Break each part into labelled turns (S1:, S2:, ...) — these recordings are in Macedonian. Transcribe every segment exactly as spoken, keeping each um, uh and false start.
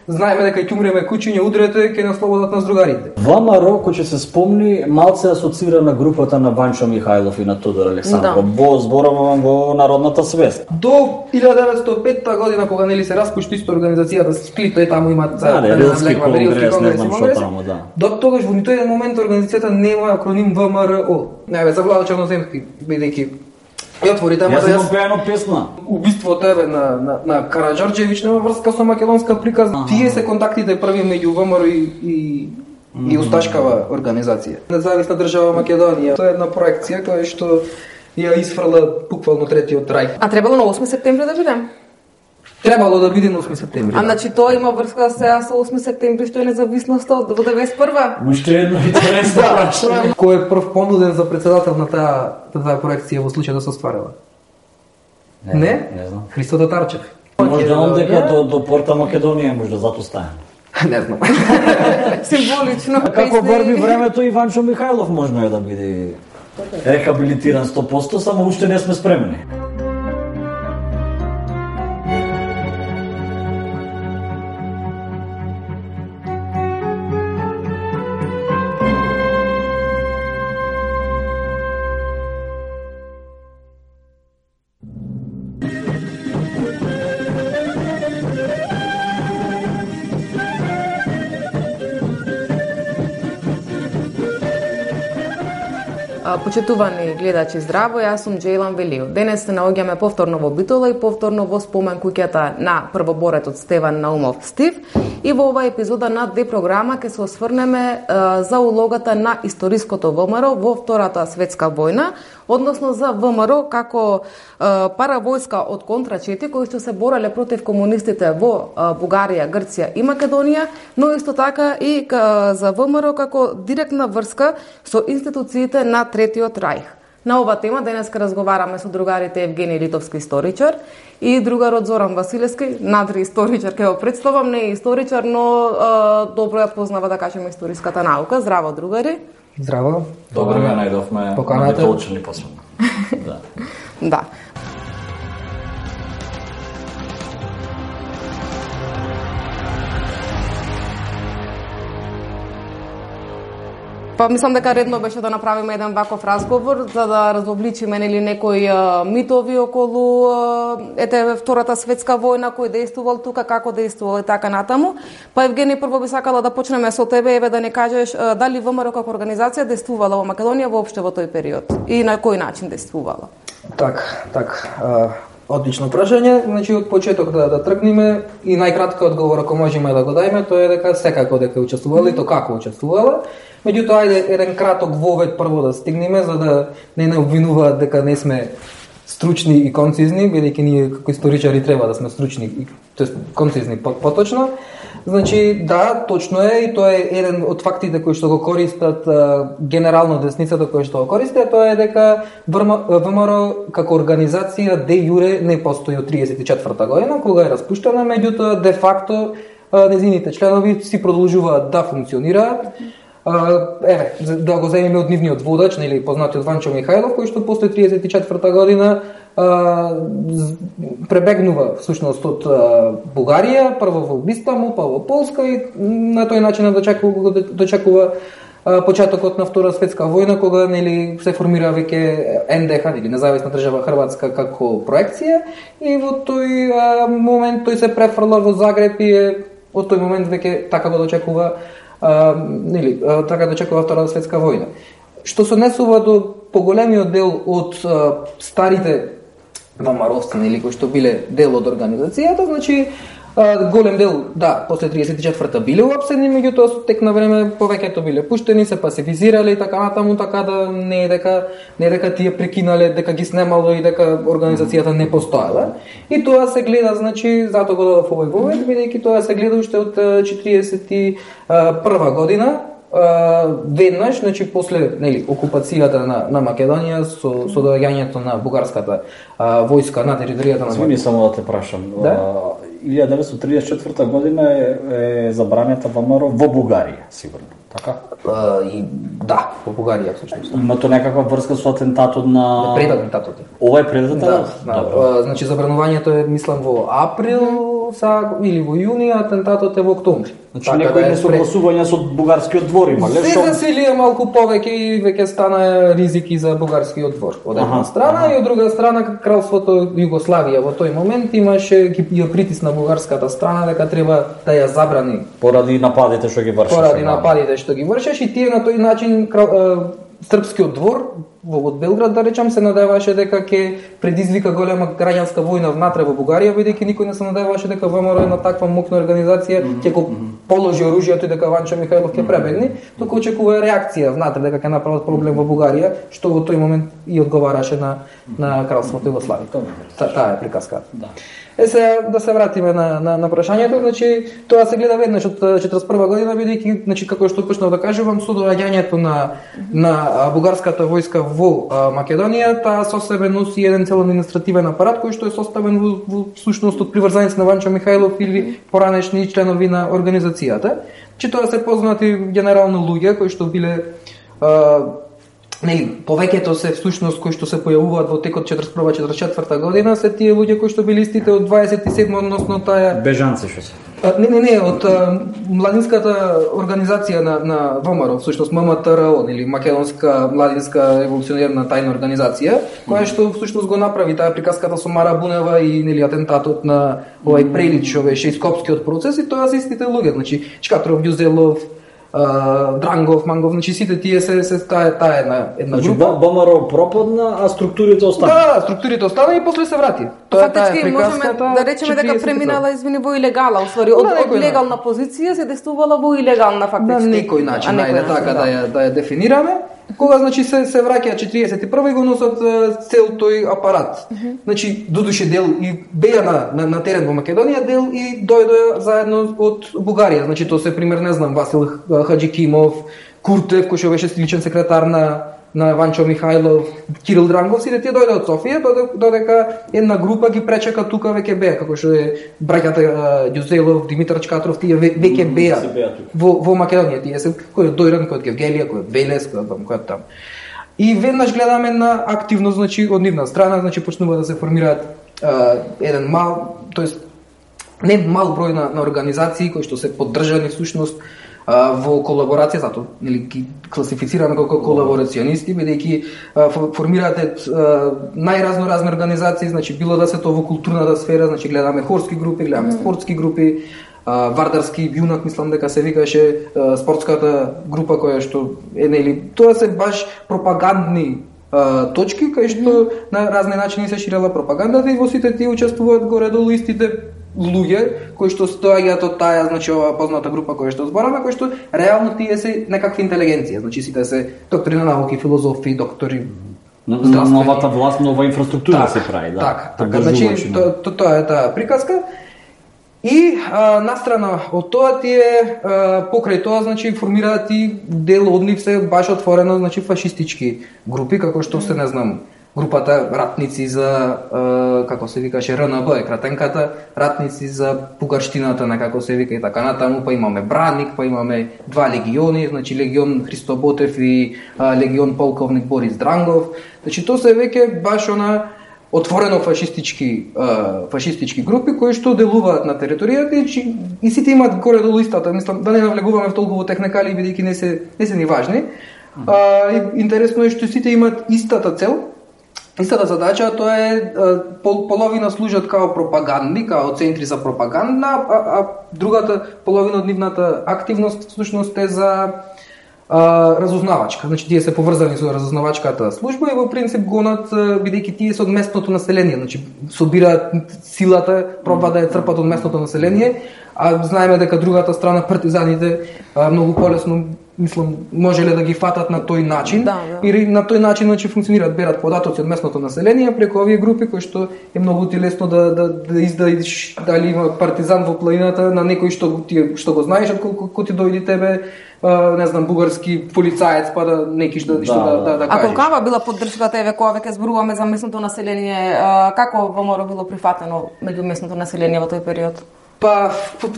S1: Знаеме дека ќе умреме кучиња, удрете, ќе не ослободат нас другарите.
S2: ВМРО, кој ќе се спомни, малце асоцира на групата на Ванчо Михајлов и на Тодор Александров. Да. Бо зборавам во народната свест.
S1: До илјада деветстотини и петта година, кога нели се распушти исто организацијата Сплит, тој таму имаат
S2: да, да, Рилски конгрес, не знам што таму, да.
S1: До тогаш во ниту еден момент организацијата нема акроним ВМРО. Не бе, за Владо Черноземски, бидејќи и отвори тема
S2: да јас пејано песна.
S1: Убиството еве на на на Караџорџевиќ нема врска со македонска приказна. Ага. Тие се контактите први меѓу ВМРО и и, mm-hmm. и Усташкава организација. Независна држава Македонија. Тоа е една проекција која што ја исфрла буквално третиот рај.
S3: А требало на осми септември да бидем?
S1: Требало да биде на осми септември.
S3: А значи тоа има врска сега со осми септември што е независноста од деветдесет и прва.
S2: Уште едно интересно прашање.
S1: Кој е прв понуден за председател на таа таа проекција во случај да се остварила?
S2: Не, не, не знам.
S1: Христо Татарчев.
S2: Може да он дека до до порта Македонија може да затоа стане.
S1: Не знам.
S3: Символично.
S2: А како врви времето Иванчо Михајлов можно е да биде рехабилитиран сто проценти, само уште не сме спремни.
S3: Почитувани гледачи, здраво, јас сум Џејлан Велио. Денес се наоѓаме повторно во Битола и повторно во спомен куќата на првоборетот Стеван Наумов Стив. И во оваа епизода на две програма ќе се осврнеме е, за улогата на историското ВМРО во Втората светска војна, односно за ВМРО како е, паравојска од контрачети кои што се бореле против комунистите во е, Бугарија, Грција и Македонија, но исто така и к, за ВМРО како директна врска со институциите на Третиот рајх. На ова тема денес ке разговараме со другарите Евгений Литовски, историчар, и другарот Зоран Василевски, надри историчар, ке го представам, не е историчар, но е, добро ја познава, да кажеме, историската наука. Здраво, другари.
S1: Здраво.
S2: Добро ја најдовме.
S1: Поканата.
S2: Толчени посебно. Да.
S3: Да. Па мислам дека редно беше да направиме еден ваков разговор за да разобличиме нели некои а, митови околу а, ете Втората светска војна, кој дејствувал тука, како дејствувал и така натаму. Па Евгений, прво би сакала да почнеме со тебе, еве да не кажеш а, дали ВМРО како организација дејствувала во Македонија воопште во тој период и на кој начин дејствувала?
S1: Так, так. А... Одлично прашање, значи од почеток да, да тргнеме и најкратка одговор ако можеме да го дајме, тоа е дека секако дека учествувала и то како учествувала. Меѓутоа, ајде еден краток вовед прво да стигнеме, за да не не обвинуваат дека не сме стручни и концизни, бидејќи ние како историчари треба да сме стручни и тоест концизни поточно. Значи, да, точно е и тоа е еден од фактите кои што го користат а, генерално десницата кои што го користат, тоа е дека ВМРО како организација де јуре не постои од триесет и четврта година кога е распуштена, меѓутоа де факто а, незините членови си продолжуваат да функционираат. Uh, еве, да го земеме од нивниот водач, нели познатиот Ванчо Михајлов, кој што после триесет и четврта година uh, пребегнува всушност од uh, Бугарија, прво во Истанбул, па во Полска и на тој начин дочекува, дочекува uh, почетокот на Втора светска војна, кога нели се формира веќе ен де ха, или Независна држава Хрватска како проекција, и во тој uh, момент тој се префрла во Загреб и од тој момент веќе така го дочекува Uh, нели, uh, така да чекува Втора светска војна. Што се однесува до поголемиот дел од uh, старите ВМРО-вци, нели, кои што биле дел од организацијата, значи uh, голем дел, да, после триесет и четврта биле уапсени, меѓутоа со тек на време повеќето биле пуштени, се пасифизирале и така натаму, така да не е дека не е дека тие прекинале, дека ги снемало и дека организацијата не постоела. И тоа се гледа, значи, затоа го дадов овој вовед, бидејќи тоа се гледа уште од четириесет и прва година, веднаш, значи после нели окупацијата на на Македонија со со доаѓањето на бугарската а, војска на територијата на
S2: Македонија. Само да те прашам.
S1: Да?
S2: илјада деветстотини триесет и четврта година е, е забранета ВМРО во Бугарија, сигурно. Така?
S1: А, и да, во Бугарија всушност.
S2: Има тоа некаква врска со атентатот на
S1: пред атентатот.
S2: Ова е пред атентатот?
S1: Да, да. А, значи забранувањето е мислам во април са или во јуни, атентатот е во октомври.
S2: Значи некои несогласувања со бугарскиот двор има, ле?
S1: Се засилија малку повеќе и веќе стана ризики за бугарскиот двор. Од една ага, страна ага. И од друга страна кралството Југославија во тој момент имаше ја притисна бугарската страна дека треба да ја забрани
S2: поради нападите што ги вршеше.
S1: Поради нападите што ги вршеше и тие на тој начин крал, српскиот двор во Белград, да речам, се надеваше дека ќе предизвика голема граѓанска војна внатре во Бугарија, бидејќи никој не се надеваше дека ВМРО на таква мокна организација ќе го положи оружјето и дека Ванчо Михајлов ќе пребегне, туку очекува реакција внатре дека ќе направат проблем во Бугарија, што во тој момент и одговараше на на кралството Југославија. Таа е приказката. Да. Е се да се вратиме на на на прашањето, значи тоа се гледа веднаш од четиридесет и прва година, бидејќи значи како што почнав да кажувам, со доаѓањето на на бугарската војска во Македонија, таа со себе носи еден цел административен апарат кој што е составен во, во сушност од приврзаници на Ванчо Михајлов или поранешни членови на организацијата. Че тоа се познати генерално луѓе кои што биле а, нели, повеќето се всушност кои што се појавуваат во текот четиридесет и прва четиридесет и четврта година се тие луѓе кои што били истите од дваесет и седма, односно таа
S2: бежанци што се.
S1: Не, не, не, од а, младинската организација на на ВМРО, всушност ММТРО или Македонска младинска револуционерна тајна организација, која што всушност го направи таа приказката со Мара Бунева и нели атентатот на овој Прелич, овој Шејскопскиот процес, и тоа се истите луѓе, значи Чкатров, Ѓузелов, Uh, Дрангов, Мангов, значи сите тие се се таа таа една една
S2: значи,
S1: група.
S2: ВМРО пропадна, а структурите остана.
S1: Да, структурите остана и после се врати.
S3: Тоа е таа приказката. Да речеме дека преминала извини во илегала, уствари од, од легална позиција се действувала во илегална фактички.
S1: На некој начин, ајде така да ја да ја дефинираме. Кога значи се се враќа четиридесет и прва и го носат цел тој апарат. Mm -hmm. Значи додуше дел и беа на, на на терен во Македонија, дел и дојдоа заедно од Бугарија. Значи тоа се пример, не знам, Васил Хаџикимов, Куртев кој што беше личен секретар на на Ванчо Михајлов, Кирил Дрангов, сите тие дојдоа од Софија, додека една група ги пречека тука веќе беа, како што е браќата Ѓузелов, Димитар Чкатров, тие веќе беа во во Македонија, тие се кој е Дојран, кој е Гевгелија, кој е Велес, кој е кој е там. И веднаш гледаме на активност, значи од нивна страна, значи почнува да се формираат uh, еден мал, тоест не мал број на, на организации кои што се поддржани всушност во колаборација, затоа нели ги класифицираме како колаборационисти, бидејќи формираат најразно разни организации, значи било да се тоа во културната сфера, значи гледаме хорски групи, гледаме спортски групи, вардарски јунак, мислам дека се викаше спортската група која што е нели, тоа се баш пропагандни точки кај што на разни начини се ширела пропагандата и во сите тие учествуваат горе-долу истите луѓе кои што стоаѓаат од таа, значи ова позната група која што збораме, кои што реално тие се некакви интелигенција, значи сите се доктори на науки, филозофи, доктори
S2: здравствени. Новата власт, нова инфраструктура так, се прави, да.
S1: Така, така, значи тоа тоа е таа приказка. И а, настрана од тоа тие а, покрај тоа значи формираат и дел од нив се баш отворено значи фашистички групи како што се не знам групата ратници за а, како се викаше Р Н Б е кратенката, ратници за бугарштината некако се вика и така натаму, па имаме Браник, па имаме два легиони, значи легион Христо Ботев и а, легион полковник Борис Дрангов. Значи тоа се веќе баш она отворено фашистички фашистички групи кои што делуваат на територијата и, и сите имаат горе-долу истата, мислам да не навлегуваме в толку во техникали бидејќи не се не се ни важни. А, интересно е што сите имаат истата цел, истата задача, тоа е пол, половина служат као пропагандни, као центри за пропаганда, а, а другата половина од нивната активност всушност е за Uh, разузнавачка, значи тие се поврзани со разузнавачката служба и во принцип гонат бидејќи тие се од местното население, значи собираат силата, пробаат да ја црпат од местното население, а знаеме дека другата страна партизаните uh, многу полесно мислам можеле да ги фатат на тој начин
S3: да, да.
S1: И на тој начин значи функционираат, берат податоци од местното население преку овие групи кои што е многу ти лесно да да да издаиш дали има партизан во планината на некој што ти што го знаеш, ако ти дојде тебе Uh, не знам, бугарски полицаец, па да некиш да, да, што да, да, да кажеш.
S3: А колкава била поддршката, еве, кога веќе зборуваме за местното население, uh, како ВМРО било прифатено меѓу местното население во тој период?
S1: Па,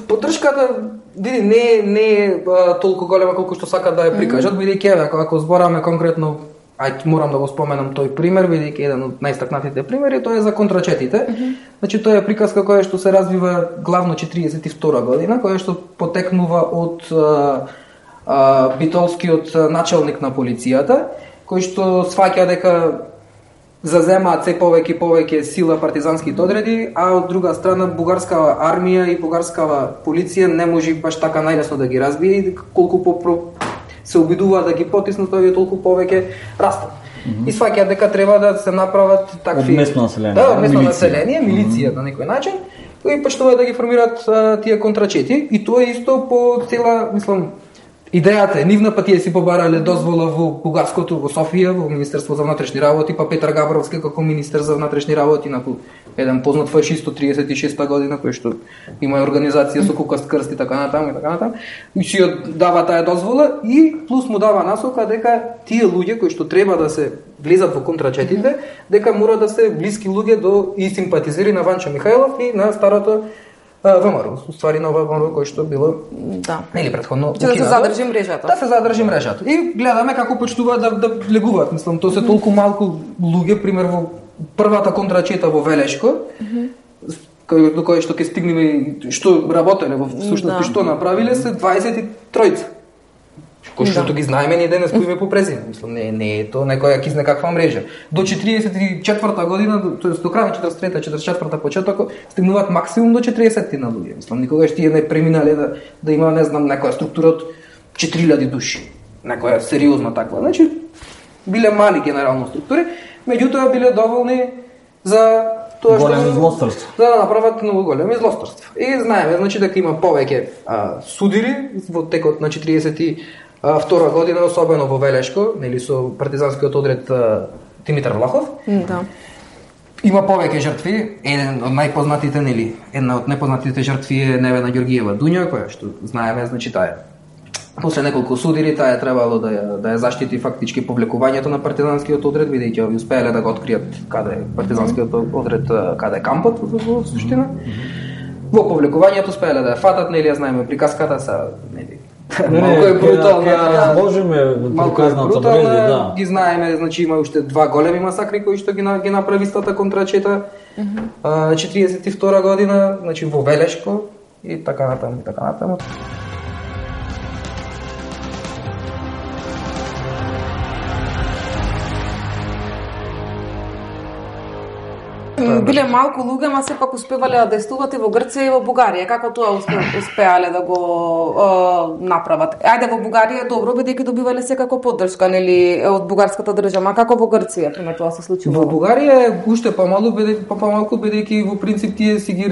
S1: поддршката види, не, не е толку голема колку што сакат да ја прикажат, бидејќи еве, ако, ако збораме конкретно, ај морам да го споменам тој пример, бидејќи еден од најстакнатите примери, тоа е за контрачетите. Mm-hmm. Значи тоа е приказка која што се развива главно четириесет и втора година, која што потекнува од а, а, битолскиот началник на полицијата, кој што сваќа дека заземаат се повеќе и повеќе сила партизанските одреди, а од друга страна бугарскава армија и бугарскава полиција не може баш така најлесно да ги разбие и колку по се обидуваат да ги потиснат, тоа толку повеќе растат. Mm-hmm. И сваќаат дека треба да се направат такви
S2: местно население,
S1: да, местно население, милиција mm-hmm. на некој начин, и почнуваат да ги формираат а, тие контрачети и тоа е исто по цела, мислам, идејата е нивна, па тие си побарале дозвола во бугарското, во Софија, во Министерство за внатрешни работи, па Петар Габровски како министер за внатрешни работи, на еден познат фашист од триесет и шеста година, кој што има организација со кукаст крст и така натаму и така натаму, и си дава таа дозвола и плюс му дава насока дека тие луѓе кои што треба да се влезат во контрачетите, дека мора да се блиски луѓе до и симпатизери на Ванчо Михајлов и на старото ВМРО, уствари нова ВМРО кој што било
S3: да.
S1: Нели претходно
S3: Че да се задржи мрежата.
S1: Да се задржи мрежата. И гледаме како почнуваат да да легуваат, мислам, тоа се толку малку луѓе, пример во првата контрачета во Велешко, mm-hmm. кој до кој што ќе стигнеме што работеле во всушност да. Што направиле се дваесет и тројца. Кој што да. Ги знаеме ние денес кој ме по презиме, мислам, не не е тоа некоја кизне каква мрежа. До четириесет и четврта година, тоест до крај на четиридесет и трета четиридесет и четврта почеток, стигнуваат максимум до четириесет на луѓе. Мислам, никогаш тие не преминале да да има, не знам, некоја структура од четири илјади души. Некоја сериозна таква. Значи биле мали генерално структури, меѓутоа биле доволни за тоа што
S2: големи злосторства.
S1: За да направат многу големи злосторства. И знаеме, значи дека има повеќе а, судири во текот на четириесет и втора година, особено во Велешко, нели со партизанскиот одред а, Димитар Влахов.
S3: Да.
S1: Има повеќе жртви, еден од најпознатите, нели, една од најпознатите жртви е Невена Ѓоргиева Дуња, која што знаеме, значи таа после неколку судири таа е требало да ја, да ја заштити фактички повлекувањето на партизанскиот одред, бидејќи овие успеале да го откријат каде е партизанскиот одред, каде е кампот во суштина. Во повлекувањето успеале да ја фатат, нели ја знаеме приказката са, нели, малку е брутална,
S2: можеме приказната мрежа, да.
S1: Ги знаеме, значи има уште два големи масакри кои што ги ги направи истата контрачета. Mm-hmm. четириесет и втора година, значи во Велешко и така натаму и така натаму.
S3: Биле малку луѓе, ма сепак успевале да действуват и во Грција и во Бугарија. Како тоа успе, успеале да го е, направат? Ајде, во Бугарија добро, бидејќи добивале секако поддршка, нели, од бугарската држава. Како во Грција, пример, тоа се случува?
S1: Во Бугарија е уште помалку, бидејќи по помалку бидејќи во принцип тие си ги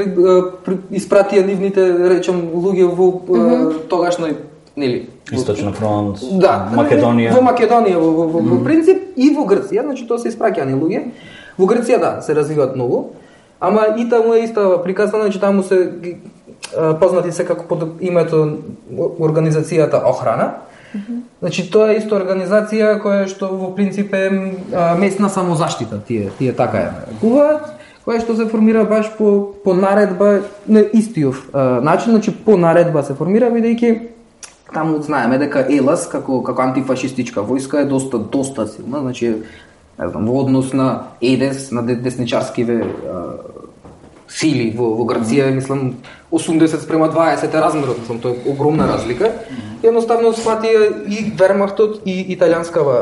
S1: испратија нивните, речем, луѓе во mm-hmm. тогашној, нели,
S2: Источна фронт,
S1: да,
S2: Македонија.
S1: Во Македонија во, во, во, во принцип и во Грција, значи тоа се испраќани луѓе. Во Грција да, се развиваат многу, ама и таму е иста приказна, значи таму се познати се како под името организацијата Охрана. Mm-hmm. Значи тоа е иста организација која што во принцип е местна самозаштита, тие тие така е нарекуваат, која што се формира баш по по наредба на истиов начин, значи по наредба се формира бидејќи таму знаеме дека ЕЛАС како како антифашистичка војска е доста доста силна, значи не знам, во однос на ЕДЕС, на десничарскиве сили во, во Грција, мислам, осумдесет спрема дваесет е размерот, мислам, тоа е огромна разлика. Mm-hmm. Едноставно сватија и Вермахтот и италијанскава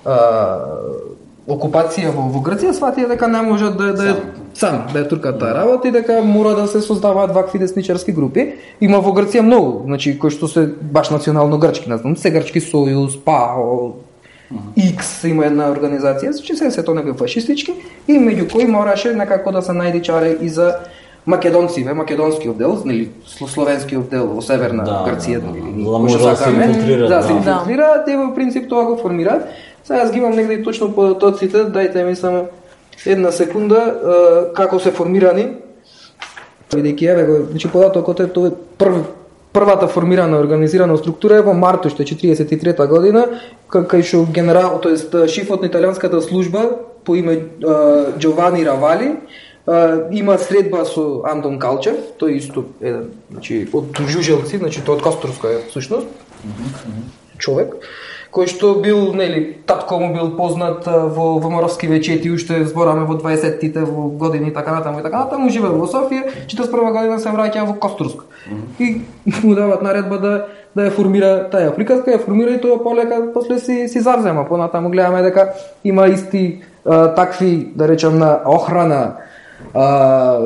S1: а, окупација во, во Грција, сватија дека не можат да, да, сам да ја туркат таа работа и дека мора да се создаваат вакви десничарски групи. Има во Грција многу, значи кои што се баш национално грчки, не знам, се грчки сојуз, ПАО, X има една организација, че се се тоа некои фашистички и меѓу кои мораше некако да се најде чаре и за македонциве, македонскиот дел, нели словенскиот дел во северна
S2: да,
S1: Грција,
S2: да,
S1: нели,
S2: да, може да се инфилтрираат.
S1: Да, се инфилтрираат и во принцип тоа го формираат. Сега јас ги имам негде точно податоците, дајте ми само една секунда како се формирани. Бидејќи еве го, значи податокот е тоа прв првата формирана организирана структура е во март уште четириесет и трета година, кај што генерал, тоест шефот на италијанската служба по име Џовани Равали има средба со Антон Калчев, тој исто еден, значи од Жужелци, значи тој од Костурска е всушност. Mm-hmm. Човек кој што бил, нели, татко му бил познат во ВМРО-вски вечети, уште збораме во дваесеттите во години и така натаму и така натаму, живеел во Софија, четиридесет и прва година се враќа во Костурск. И му дават наредба да да ја формира таа приказка, ја формира и тоа полека после си си завзема. Понатаму гледаме дека има исти а, такви, да речам, на охрана а,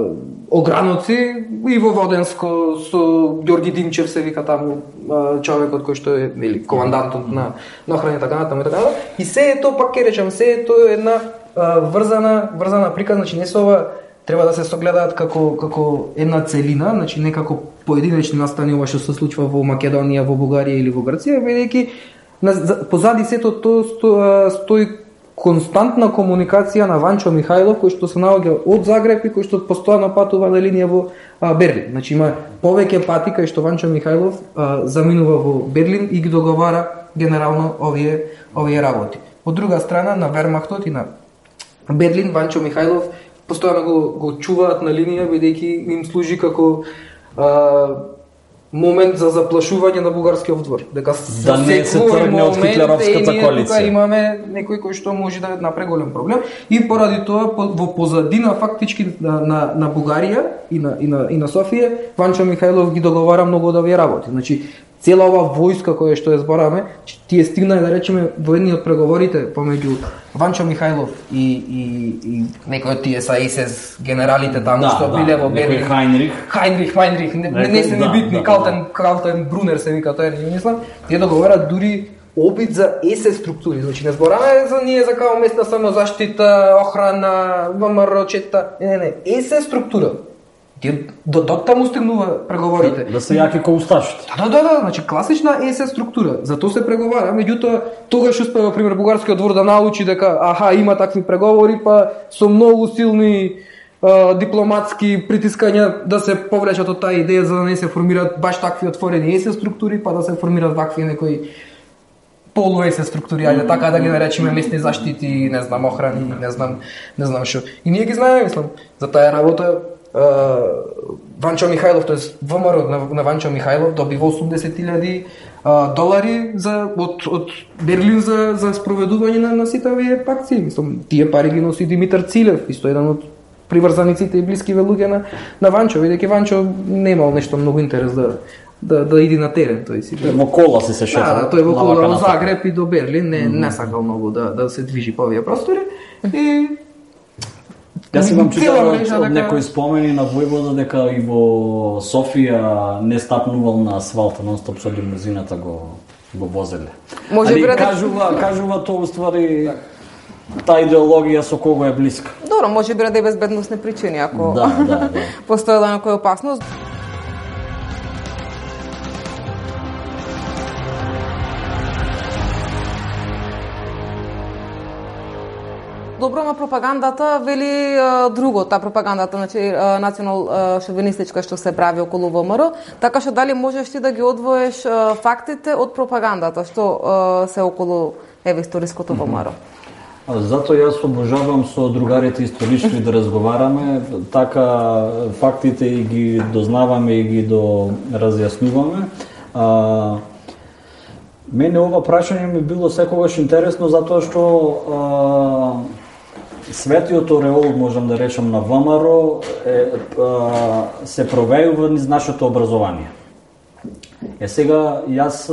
S1: ограноци и во Воденско со Ѓорги Димчев се вика таму а, човекот кој што е или командантот на на охрана и така натаму и така натаму. И се е тоа, пак ќе речам, се е тоа една а, врзана врзана приказна, значи не се ова треба да се согледаат како како една целина, значи не како поединечни настани ова што се случува во Македонија, во Бугарија или во Грција, бидејќи позади сето тоа сто, стои константна комуникација на Ванчо Михајлов, кој што се наоѓа од Загреб и кој што постојано патува на линија во а, Берлин. Значи има повеќе пати кај што Ванчо Михајлов а, заминува во Берлин и ги договара генерално овие овие работи. Од друга страна на Вермахтот и на Берлин Ванчо Михајлов постојано го, го чуваат на линија, бидејќи им служи како а, момент за заплашување на бугарскиот двор. Дека
S2: да не се тргне од хитлеровската коалиција.
S1: Имаме некој кој што може да направи голем проблем и поради тоа во позадина фактички на на, на Бугарија и на и на и на Софија Ванчо Михајлов ги договара многу од овие работи. Значи цела ова војска која што ја збораме, тие стигнаа да речеме во едни од преговорите помеѓу Ванчо Михајлов и и и некои од тие са ес ес генералите таму
S2: да,
S1: што
S2: да,
S1: биле во Берлин.
S2: Хайнрих.
S1: Хайнрих, Хайнрих, не, некој, не се ни битни, да, Калтен, да. Калтен Брунер се вика тоа, не мислам. Тие договарат дури обид за ес ес структури, значи не збораме за ние за као местна самозаштита, охрана, ВМРО-чета, не, не, не, ес ес структура. Тие до до таму стигнува преговорите.
S2: Да, да се јаки ко усташите.
S1: Да, да, да, значи класична ес ес структура. Затоа се преговара, меѓутоа тогаш успева пример бугарскиот двор да научи дека аха има такви преговори, па со многу силни а, дипломатски притискања да се повлечат од таа идеја за да не се формираат баш такви отворени ес ес структури, па да се формираат вакви некои полу ес ес структури, ајде така да ги наречеме местни заштити, не знам, охрани, не знам, не знам што. И ние ги знаеме, мислам, за таа работа. Uh, Ванчо Михајлов, тоест ВМРО на, на Ванчо Михајлов добива осумдесет илјади uh, долари за од од Берлин за за спроведување на, на сите овие акции. Мислам, тие пари ги носи Димитар Цилев, исто еден од приврзаниците и блиски луѓе на на Ванчо, бидејќи Ванчо немал нешто многу интерес да да да иди на терен, тој си.
S2: Во кола се се шета.
S1: Да, да, тој во кола од Загреб и до Берлин, не mm -hmm. не сакал многу да да се движи по овие простори и
S2: Јас имам читал од, од некои спомени на војвода дека и во Софија не стапнувал на асфалта, нон-стоп со лимузината го го возеле.
S3: Може
S2: Али
S3: да
S2: кажува, кажува тоа уствари таа идеологија со кого е блиска.
S3: Добро, може би ради безбедносни причини, ако
S2: да, да, да.
S3: постоела некоја опасност. Добро, на пропагандата вели а, друго, таа пропагандата, значи национал а, шовинистичка што се прави околу ВМРО, така што дали можеш ти да ги одвоеш а, фактите од пропагандата што а, се околу еве историското ВМРО?
S2: Затоа јас обожавам со другарите исторички да разговараме, така фактите и ги дознаваме и ги до разјаснуваме. А, мене ова прашање ми било секогаш интересно затоа што а, светиот ореол, можам да речам, на ВМРО е, а, се провејува низ нашето образование. Е сега, јас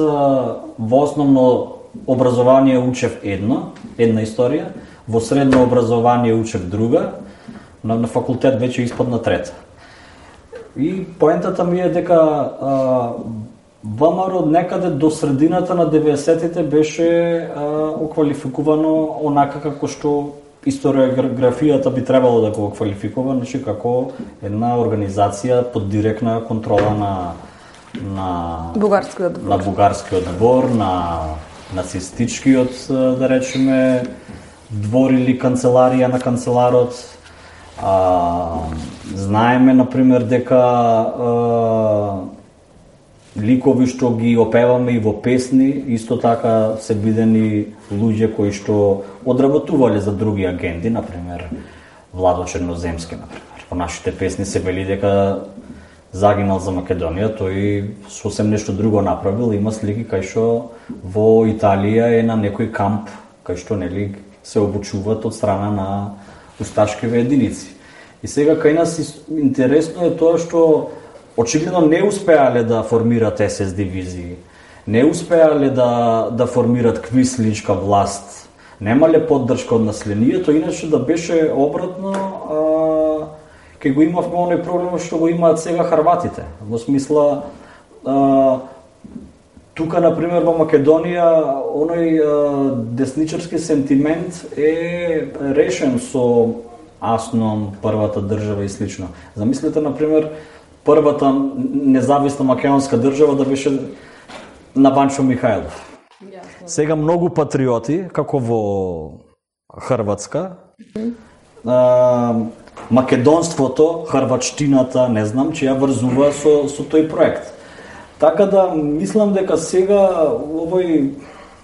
S2: во основно образование учев едно, една историја, во средно образование учев друга, на, на факултет веќе испадна трета. И поентата ми е дека а, ВМРО некаде до средината на деветдесетите беше а, оквалификувано онака како што историографијата би требало да го квалификува, значи како една организација под директна контрола на на
S3: бугарскиот двор,
S2: на бугарскиот двор, на нацистичкиот, да речеме, двор или канцеларија на канцеларот. А, знаеме, например, дека а, ликови што ги опеваме и во песни, исто така се видени луѓе кои што одработувале за други агенти, например Владо Черноземски, например. Во нашите песни се вели дека загинал за Македонија, тој сосем нешто друго направил. Има слики кај што во Италија е на некој камп кај што нели се обучуваат од страна на усташкиве единици. И сега кај нас интересно е тоа што очигледно не успеале да формират ес ес дивизии, не успеале да да формират квисличка власт, немале поддршка од населението, иначе да беше обратно, а, ке го имавме оној проблем што го имаат сега хрватите. Во смисла, а, тука, например, во Македонија, оној а, десничарски сентимент е решен со Асном, првата држава и слично. Замислете, например, првата независна македонска држава да беше на Банчо Михајлов. Сега многу патриоти, како во Хрватска, а, македонството, хрватштината, не знам, че ја врзува со, со тој проект. Така да, мислам дека сега овој,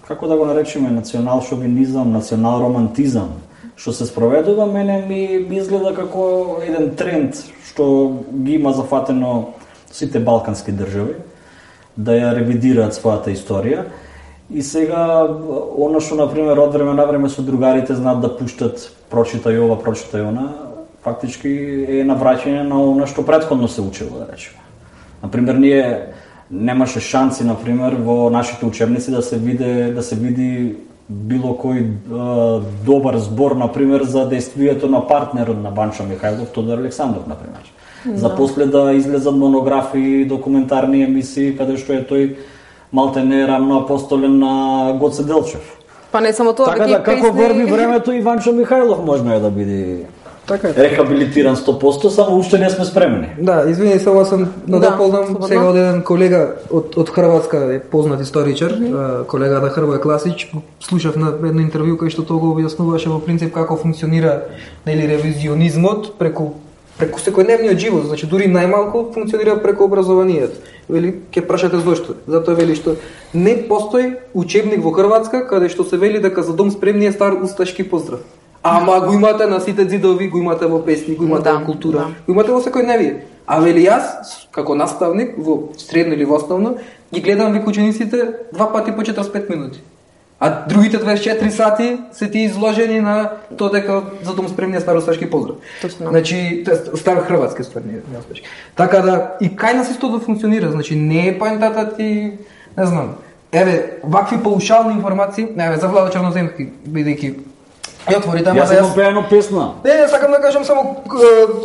S2: како да го наречеме, национал шовинизам, национал романтизам, што се спроведува, мене ми, ми изгледа како еден тренд што ги има зафатено сите балкански држави, да ја ревидираат својата историја. И сега, оно што, например, од време на време со другарите знаат да пуштат прочитај ова, прочитај она, фактички е навраќање на она што претходно се учило, да речеме. Например, ние немаше шанси, например, во нашите учебници да се види, да се види било кој е, добар збор, например, за действието на партнерот на Банчо Михајлов, Тодор Александров, например. Да. За после да излезат монографии, документарни емисии, каде што е тој малтене рамно апостолен на Гоце Делчев.
S3: Па не само тоа,
S2: така да, како врви времето, и Ванчо Михајлов можно е да биде
S1: така е,
S2: рехабилитиран сто проценти, само уште не сме спремни.
S1: Да, извини, само съм надополнам
S3: да,
S1: сега од еден колега од, од Хрватска, е познат историчар, mm -hmm. колегата Хрвој Класич, слушав на едно интервју кај што тоа го објаснуваше во принцип како функционира, нели, ревизионизмот преку преку секојдневниот живот, значи дури најмалку функционира преку образованието. Вели, ќе прашате зошто? Затоа вели што не постои учебник во Хрватска каде што се вели дека за дом спремни е стар усташки поздрав. Ама го имате на сите ѕидови, го имате во песни, го имате
S3: да,
S1: во култура,
S3: да.
S1: го имате во секојдневие. А вели јас, како наставник во средно или во основно, ги гледам вик учениците два пати по четиридесет и пет минути. А другите дваесет и четири сати се ти изложени на тоа дека за дом спремни е стар усташки поздрав.
S3: Точно.
S1: Значи, стар хрватски ствар, не усташки. Така да и кај нас истото функционира, значи не е поентата ти, не знам. Еве, вакви паушални информации, еве за Владо Черноземски, бидејќи ја отворите, ама
S2: јас
S1: да
S2: јас пеено песна.
S1: Не, не, сакам да кажам само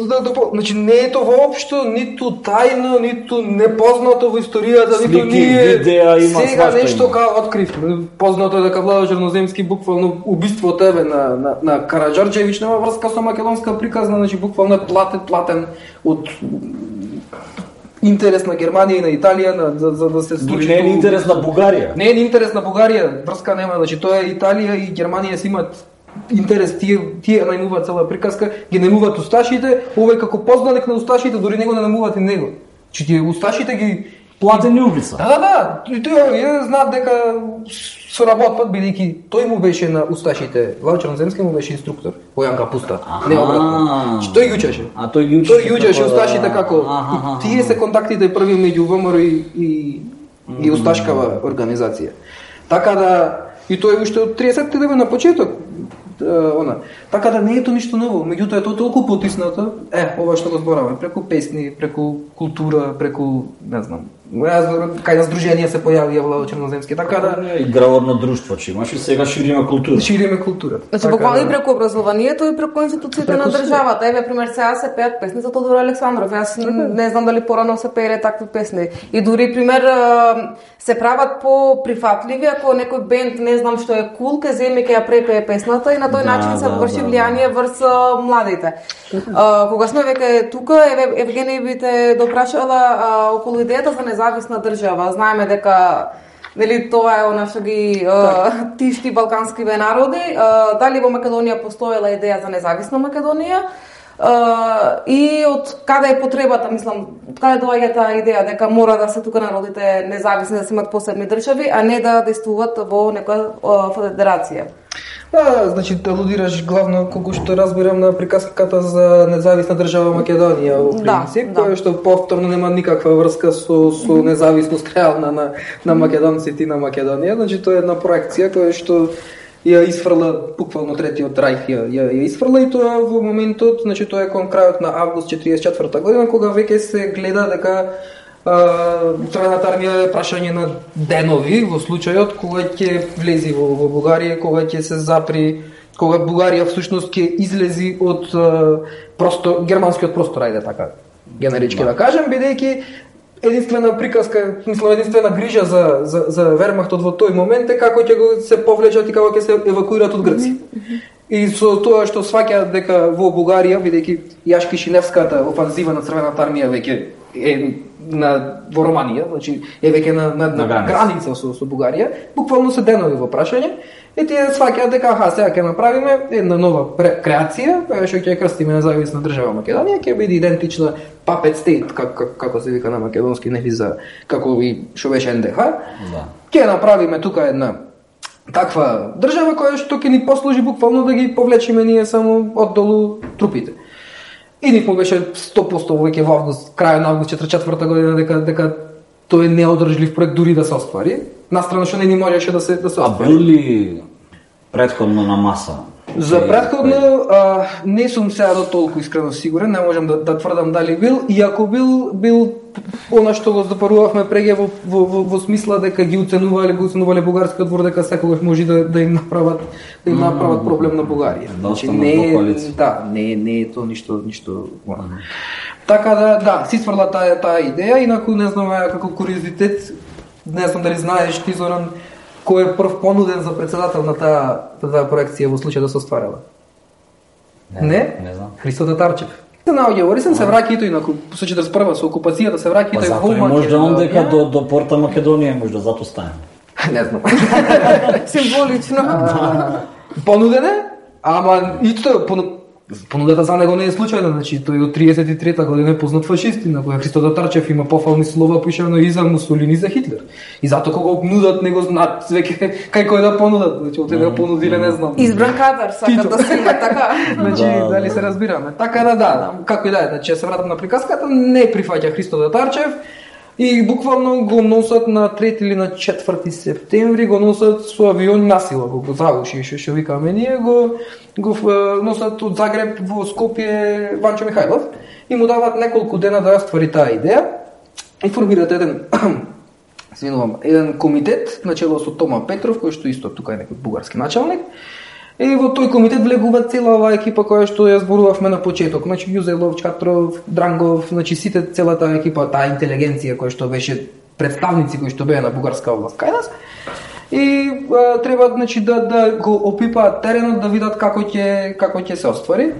S1: да, да, значи не е тоа воопшто ниту тајно, ниту непознато во историјата,
S2: Слики,
S1: ниту ние
S2: видеа, има
S1: сега
S2: свашта
S1: нешто као откривме. Познато е дека Владо Черноземски буквално убиството еве на на на Караџорџевиќ нема врска со македонска приказна, значи буквално е платен платен од интерес на Германија и на Италија на, за, за да се случи.
S2: Не е интерес на Бугарија.
S1: Не е интерес на Бугарија, врска нема, значи тоа е Италија и Германија си имаат интерес, тие, тие најмуваат цела приказка, ги најмуваат усташите, овој како познаник на усташите, дури него не најмуваат и него. Че тие усташите ги
S2: платени убица.
S1: Да, да, да, и тој знаат дека соработват, бидејќи тој му беше на усташите, Владо Черноземски му беше инструктор, во Јан Капуста, не обратно. Че тој ги учеше.
S2: А тој ги учеше.
S1: Тој ги учеше усташите како, и тие се контактите први меѓу ВМРО и, и, и усташкава организација. Така да, и тој уште од триесетте години на почеток, она. Така да не е тоа ништо ново, меѓутоа е тоа толку потиснато, е, ова што го збораваме, преку песни, преку култура, преку, не знам, кај на здруженија се појавија Владо Черноземски, така да
S2: играорно друштво че имаш и сега шириме култура.
S1: Шириме култура.
S3: Значи буквално и преку образованието и преку институциите на државата. Еве пример сега се пеат песни за Тодор Александров. Јас не знам дали порано се пееле такви песни. И дури пример се прават по прифатливи ако некој бенд не знам што е кул, ке земе ке ја препее песната и на тој
S2: да,
S3: начин се
S2: да,
S3: врши
S2: да,
S3: влијание врз младите. Uh, кога сме веќе тука, еве Евгенија би те допрашала uh, околу идејата за независна држава. Знаеме дека нели тоа е она што ги uh, тишти балканскиве народи. Uh, дали во Македонија постоела идеја за независна Македонија? Uh, и од каде е потребата, мислам, од каде доаѓа таа идеја дека мора да се тука народите независни, да се имат посебни држави, а не да действуваат во некоја uh, федерација?
S1: Да, значи алудираш главно колку што разбирам на приказката за независна држава Македонија во принцип, да, која да. Што повторно нема никаква врска со со независност реална на на македонците и на Македонија, значи тоа е една проекција која што ја исфрла буквално третиот рајх ја, ја, ја исфрла и тоа во моментот, значи тоа е кон крајот на август четиридесет и четврта година кога веќе се гледа дека Црвената армија е прашање на денови во случајот кога ќе влези во, во Бугарија, кога ќе се запри, кога Бугарија всушност ќе излези од просто германскиот простор, ајде така генерички да кажем, бидејќи единствена приказка, мислам единствена грижа за за за Вермахтот во тој момент е како ќе го се повлечат и како ќе се евакуираат од Грција. И со тоа што сваќаат дека во Бугарија, бидејќи Јашки-Шиневската офанзива на Црвената армија веќе е на во Романија, значи е веќе на на, на, на граница со со Бугарија, буквално се денови во прашање. И тие сваќаат дека аха, сега ќе направиме една нова креација, која што ќе крстиме независна држава Македонија, ќе биде идентична Puppet State, како как, како се вика на македонски, нели за како и што беше ен де ха. Да. Ќе направиме тука една таква држава која што ќе ни послужи буквално да ги повлечиме ние само оддолу трупите. И никому беше сто проценти веќе во август, крај на август четиридесет и четврта година дека дека тој е неодржлив проект дури да се оствари. Настрана што не ни можеше да се да се оствари.
S2: А бил ли претходно на маса?
S1: За претходно а, не сум сега до толку искрено сигурен, не можам да, да тврдам дали бил, и ако бил, бил она што го запарувавме преге во, во, во, во смисла дека ги уценувале, го уценувале бугарскиот двор дека секогаш може да, да им направат да им направат проблем на Бугарија. Значи не, да, не не е тоа ништо ништо. Така да, да, си сврла таа таа идеја, инаку не знам како куриозитет, не знам дали знаеш ти Зоран кој е прв понуден за председател на таа таа проекција во случај да се остварила? Не, не, не знам. Христо Татарчев. Се наоѓа во Рисен, се враќа и тој на четиридесет и прва со окупацијата се враќа и тој во Македонија.
S2: Може да он дека до до порта Македонија може да затоа стане.
S1: Не знам.
S3: Символично.
S1: Понуден е, ама и тоа понудата за него не е случајна, значи тој од триесет и трета година е познат фашист, на која Христо Татарчев има пофални слова пишано и за Мусолини и за Хитлер. И затоа кога го нудат него знаат веќе кај кој да понудат, значи од него понудиле не знам.
S3: Избран кадар сака да се има така.
S1: Значи дали се разбираме. Така да да, како и да е, значи се вратам на приказката, не прифаќа Христо Татарчев. И буквално го носат на трети или на четврти септември, го носат со авион насила, го, го завуши, што што викаме ние, го, го носат од Загреб во Скопје Ванчо Михајлов и му дават неколку дена да оствари таа идеја и формираат еден извинувам, еден комитет начело со Тома Петров, кој што исто тука е некој бугарски началник. И во тој комитет влегува цела оваа екипа која што ја зборувавме на почеток. Значи Јузелов, Чатров, Дрангов, значи сите целата екипа, таа интелигенција која што беше представници кои што беа на бугарска област кај нас. И а, треба значи да да го опипаат теренот, да видат како ќе како ќе се оствари.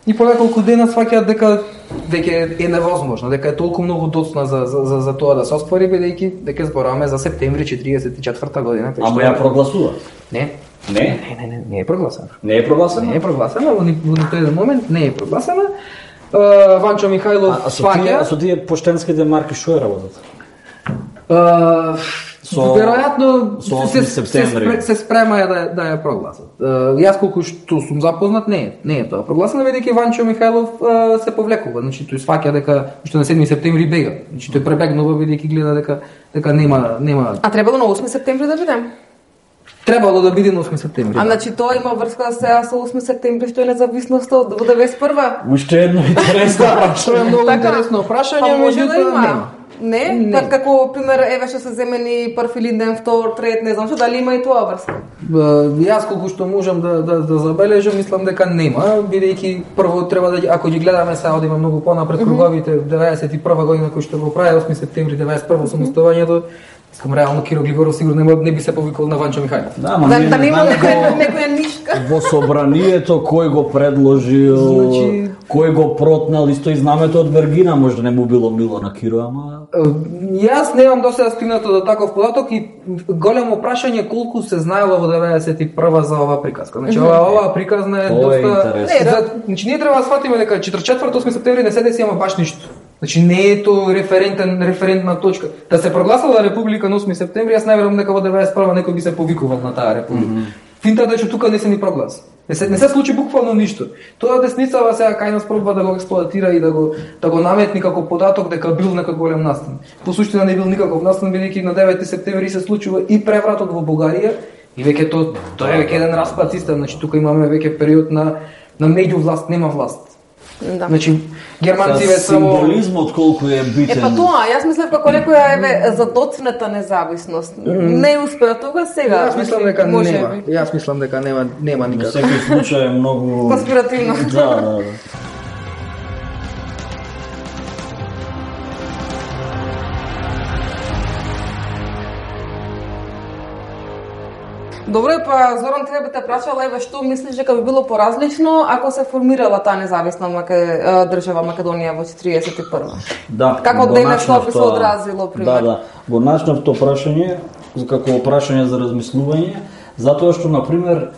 S1: И по неколку дена сваќаат дека веќе е невозможно, дека е толку многу доцна за за за, за тоа да се оствари, бидејќи дека зборуваме за септември четиридесет и четврта година.
S2: Ама ја прогласуваат?
S1: Не.
S2: Не?
S1: Не, не, не, не е прогласена.
S2: Не е прогласена?
S1: Не е прогласена, во тој еден момент не е прогласена. Uh, Ванчо Михајлов сваќа.
S2: А со тие поштенските марки што е работата?
S1: Uh, со веројатно
S2: со осми септември
S1: се, се спрема да да ја прогласат. Uh, јас колку што сум запознат не е, не е тоа прогласено, бидејќи Ванчо Михајлов uh, се повлекува, значи тој сваќа дека што на седми септември бега. Значи тој пребегнува бидејќи гледа дека дека нема нема.
S3: А требало на осми септември да бидем?
S1: Требало да биде на осми септември.
S3: А значи тоа има врска сега со осми септември што е независноста од деветдесет и прва?
S1: Уште едно интересно прашање, многу интересно прашање, меѓутоа нема.
S3: Не, не. Так како пример еве што се земени прв Илинден, втор, трет, не знам што, дали има и тоа врска?
S1: Јас колку што можам да да да забележам, мислам дека нема, бидејќи прво треба да ако ги гледаме сега одиме многу понапред круговите деветдесет и прва година кој што го прави осми септември деветдесет и прва самостојањето. Искам реално Киро Глигоров сигурно не, не би се повикал на Ванчо Михајлов.
S2: Да, ма
S3: да, да нема некоја некоја нишка.
S2: Во собранието кој го предложил, значи, Кој го протнал, исто и знамето од Вергина, може да не му било мило на Киро, ама...
S1: Јас немам досега стигнато до таков податок и големо прашање колку се знаело во деветдесет и прва за оваа приказка. Значи, ова, оваа приказна е
S2: Тоа е
S1: доста...
S2: интересно.
S1: Не, за... Значи, ние треба да сфатиме дека четиридесет и четврти осми септември не се деси ама баш ништо. Значи, не е тоа референтен, референтна точка. Да се прогласила република на осми септември, јас не верувам дека во деветдесет и прва некој би се повикувал на таа република. Mm -hmm. Финтата е што тука не се ни прогласи. Не се, не се случи буквално ништо. Тоа десницава сега кај нас пробува да го експлоатира и да го да го наметни како податок дека бил некој голем настан. По суштина не бил никаков настан, бидејќи на девети септември се случува и превратот во Бугарија и веќе тоа тоа е веќе еден распад систем, значи тука имаме веќе период на на меѓувласт, нема власт.
S3: Да.
S1: Значи германците само
S2: символизмот колку е битен.
S3: Е па тоа, јас мислев како некоја еве задоцната независност. Не успеа тога сега.
S1: Јас мислам дека
S3: може
S1: нема.
S3: би.
S1: Јас мислам дека нема нема
S2: Во
S1: никако.
S2: секој случај е многу
S3: Конспиративно.
S2: Да, да, да.
S3: Добро е, па Зоран, тебе би те прашала, еве што мислиш дека би било поразлично ако се формирала таа независна Маке... држава Македонија во четиридесет и прва?
S2: Да,
S3: Како
S2: го
S3: денес тоа би се
S2: начнав тоа-
S3: одразило, пример?
S2: Да, да. Го начнав тоа прашање како прашање за размислување, затоа што на пример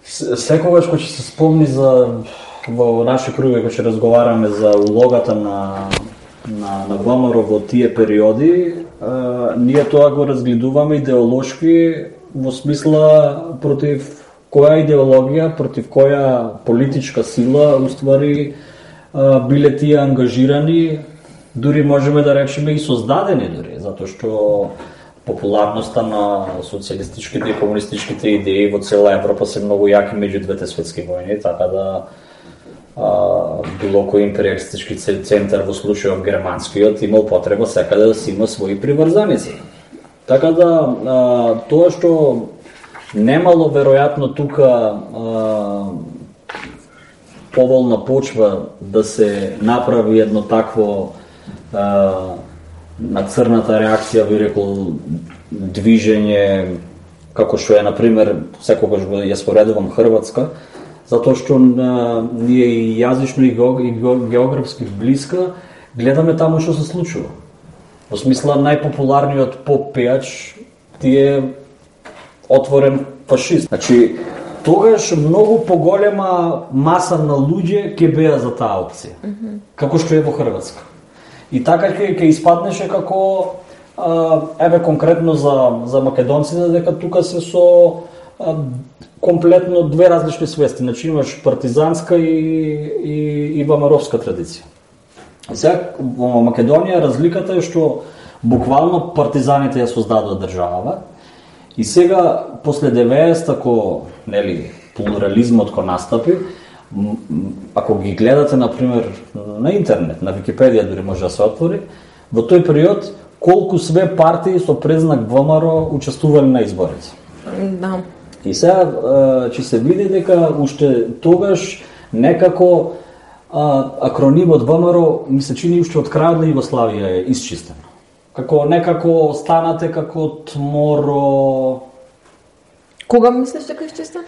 S2: с- секогаш кога ќе се спомни за во наши круги кога ќе разговараме за улогата на на на ВМРО во тие периоди, а, ние тоа го разгледуваме идеолошки во смисла против која идеологија, против која политичка сила уствари а, биле тие ангажирани, дури можеме да речеме и создадени дури, затоа што популарноста на социјалистичките и комунистичките идеи во цела Европа се многу јаки меѓу двете светски војни, така да а, било кој империалистички центар во случајот германскиот имал потреба секаде да си има своји приврзаници. Така да а, тоа што немало веројатно тука а, поволна почва да се направи едно такво а, на црната реакција, би рекол, движење, како што е, например, секогаш ја споредувам Хрватска, затоа што а, ние и јазично и географски блиска гледаме таму што се случува. Во смисла, најпопуларниот поп пејач ти е отворен фашист. Значи, тогаш многу поголема маса на луѓе ќе беа за таа опција, mm -hmm. како што е во Хрватска. И така ќе ќе испаднеше како а, еве конкретно за за македонците дека тука се со а, комплетно две различни свести. Значи имаш партизанска и и и ВМРО-вска традиција. Сега во Македонија разликата е што буквално партизаните ја создадоа државава и сега после деветдесет ако нели плурализмот кој настапи, ако ги гледате на пример на интернет, на Википедија дури може да се отвори, во тој период колку све партии со презнак ВМРО учествувале на изборите.
S3: Да.
S2: И сега ќе се види дека уште тогаш некако а, акронимот ВМРО ми се чини уште од крајот на Југославија е исчистен. Како некако станате како ТМОРО.
S3: Кога мислиш дека е исчистен?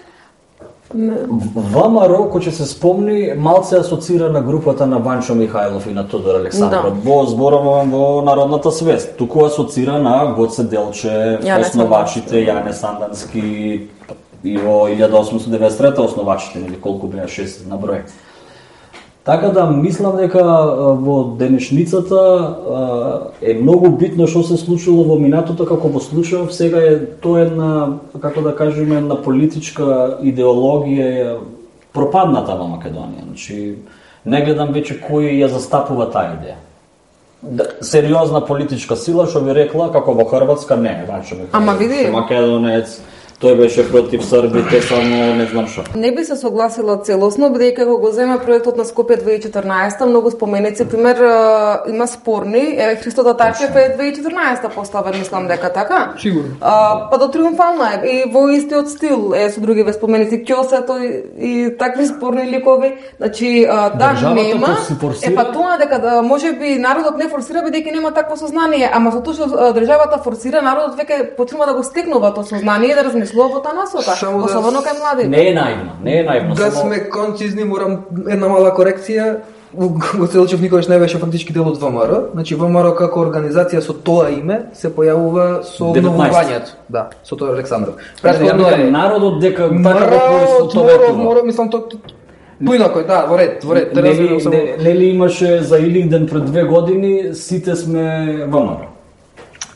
S2: ВМРО, кој ќе се спомни, малце асоцира на групата на Банчо Михајлов и на Тодор Александров. Да. Во зборавам во народната свест. Туку асоцира на Гоце Делче, основачите, Јане Сандански и во илјада осумстотини и деветдесет и трета основачите, или колку беа шест на број. Така да мислам дека во денешницата е многу битно што се случило во минатото, како во случајот сега е тоа една, како да кажеме, една политичка идеологија пропадната во Македонија. Значи не гледам веќе кој ја застапува таа идеја. Сериозна политичка сила што би рекла како во Хрватска не, Банчо Михајлов.
S3: Ама види,
S2: македонец, тој беше против србите, само не знам што.
S3: Не би се согласила целосно, бидејќи кога го зема проектот на Скопје две илјади и четрнаесета, многу споменици, пример, има спорни, е Христо Татарчев е две илјади и четрнаесета поставен, мислам дека така.
S1: Сигурно.
S3: А, па до триумфална е и во истиот стил е со други споменици Ќосето и, и такви спорни ликови. Значи, а, да,
S2: државата
S3: нема.
S2: форсира...
S3: Е па тоа дека да можеби народот не форсира бидејќи нема такво сознание, ама со тоа што државата форсира, народот веќе почнува да го стекнува тоа сознание, да размислува мислува во таа насока,
S1: Само да
S3: особено
S1: с-
S3: кај младите.
S2: Не е наивно, не е наивно.
S1: Да
S2: само-
S1: сме концизни, морам една мала корекција. Гоцелчев никогаш не беше фактички дел од ВМРО. Значи ВМРО како организација со тоа име се појавува со
S2: деветнаесет.
S1: обновувањето. Да, со тоа Александров.
S2: Ја
S1: Претходно
S2: викам,
S1: е
S2: народот дека така го
S1: Мора, моро,
S2: поисветоветува.
S1: моро, мислам то поинако, да, во ред, во ред. Те
S2: Нели,
S1: разбирам само.
S2: не- нели имаше за Илинден пред две години, сите сме ВМРО.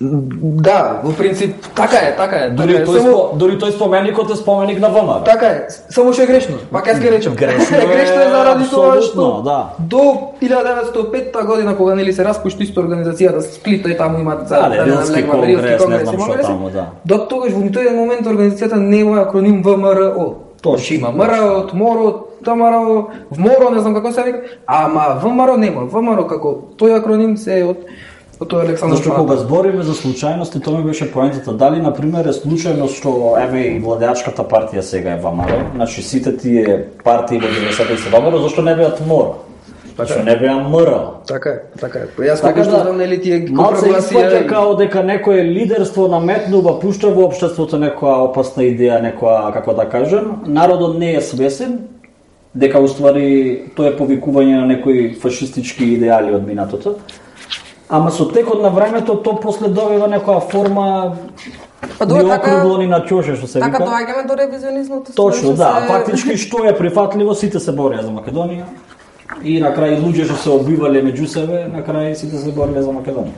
S1: Да, во принцип така е, така е.
S2: Дори
S1: така е.
S2: тој,
S1: Само-
S2: спо, дори тој споменикот е споменик на ВМРО.
S1: Така е, само што е грешно. Пак јас ке речем.
S2: Грешно е,
S1: грешно е заради тоа
S2: апсолутно,
S1: што
S2: да.
S1: до илјада деветстотини и петта година кога нели се распушти исто организацијата Сплита и таму имаат
S2: Да, да, Рилски
S1: надлегва,
S2: конгрес,
S1: Рилски
S2: не знам
S1: и
S2: што
S1: конгреси.
S2: таму, да.
S1: До тогаш во ниту еден момент организацијата нема акроним ВМРО.
S2: Точно.
S1: Значи има МРО, МОРО, ТМРО, ВМОРО, не знам како се вика, ама ВМРО нема. ВМРО како тој акроним се е од од тој Александар
S2: Зашто кога збориме за случајности, тоа ми беше поентата. Дали, например, е случајно што, еве, и владеачката партија сега е ВМРО, значи сите тие партии во деветдесетте се ВМРО, зашто не беат МОРО? Зашто не беа МРО?
S1: Така е, така е. Па јас
S2: Така
S1: како што
S2: да,
S1: знам нели тие
S2: малце испаќа
S1: и-
S2: као дека некое лидерство наметнува, пушта во општеството некоја опасна идеја, некоја, како да кажем, народот не е свесен, дека уствари тоа е повикување на некои фашистички идеали од минатото. Ама со текот на времето тоа после добива некоја форма
S3: Па добро,
S2: ни
S3: така-
S2: округло ни на ќоше, што се
S3: Така
S2: вика.
S3: доаѓаме до ревизионизмот.
S2: Точно,
S3: што
S2: да.
S3: се-
S2: Фактички што е прифатливо, сите се борија за Македонија. И на крај луѓе што се обивале меѓу себе, на крај сите се бореле за Македонија.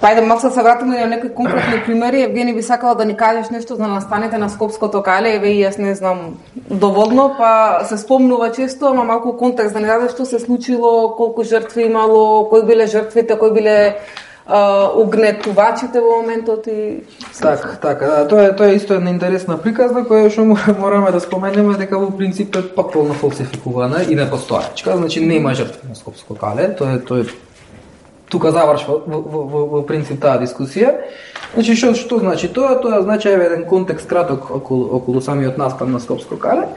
S3: Па ајде малку да се вратиме на некои конкретни примери. Евгени би сакала да ни кажеш нешто за настаните на Скопското кале, еве и јас не знам доволно, па се спомнува често, ама малку контекст да ни дадеш што се случило, колку жртви имало, кои биле жртвите, кои биле а, угнетувачите во моментот и
S1: Так, така, да, тоа е тоа е исто една интересна приказна која што мораме да споменеме дека во принцип е потполно фалсификувана и непостоечка, значи нема жртви на Скопско кале, тоа е тоа е тука завршва во, во, во, во принцип таа дискусија. Значи што што значи тоа? Тоа значи еве еден контекст краток околу околу самиот настан на Скопско кале.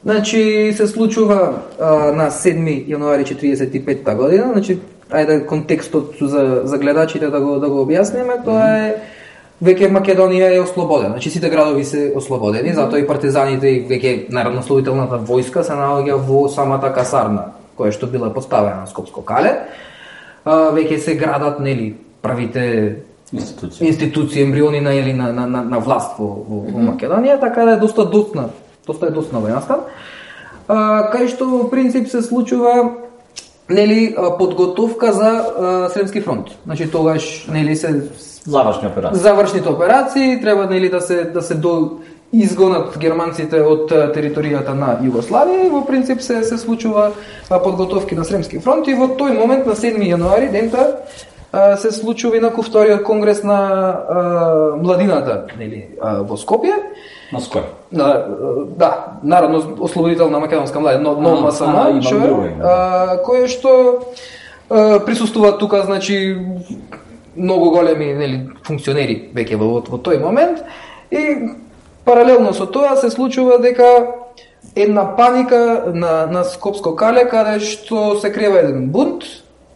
S1: Значи се случува а, на седми јануари четиридесет и петта година, значи ајде контекстот за за гледачите да го да го објасниме, тоа е веќе Македонија е ослободена, значи сите градови се ослободени, затоа и партизаните и веќе народноослободителната војска се наоѓа во самата касарна која што била поставена на Скопско кале. А, веќе се градат нели првите
S2: Институција.
S1: институции, ембриони на или на на на, на власт во, во, во Македонија, така да е доста доцна, доста е доцна овој настан. А, кај што во принцип се случува нели а, подготовка за а, Сремски фронт. Значи тогаш нели се
S2: Завршни операции.
S1: завршните операции, треба нели да се да се до изгонат германците од а, територијата на Југославија и во принцип се се случува а, подготовки на Сремски фронт и во тој момент на седми јануари дента а, се случува инаков вториот конгрес на а, младината нели а, во Скопје.
S2: На ској?
S1: На, да, народно ослободителна македонска младина, но, но
S2: А,
S1: МСМ,
S2: а, имам
S1: што,
S2: друго име,
S1: а, кое што а, присуствуваат тука, значи многу големи нели функционери веќе во, во тој момент и паралелно со тоа се случува дека една паника на на Скопско кале каде што се крива еден бунт,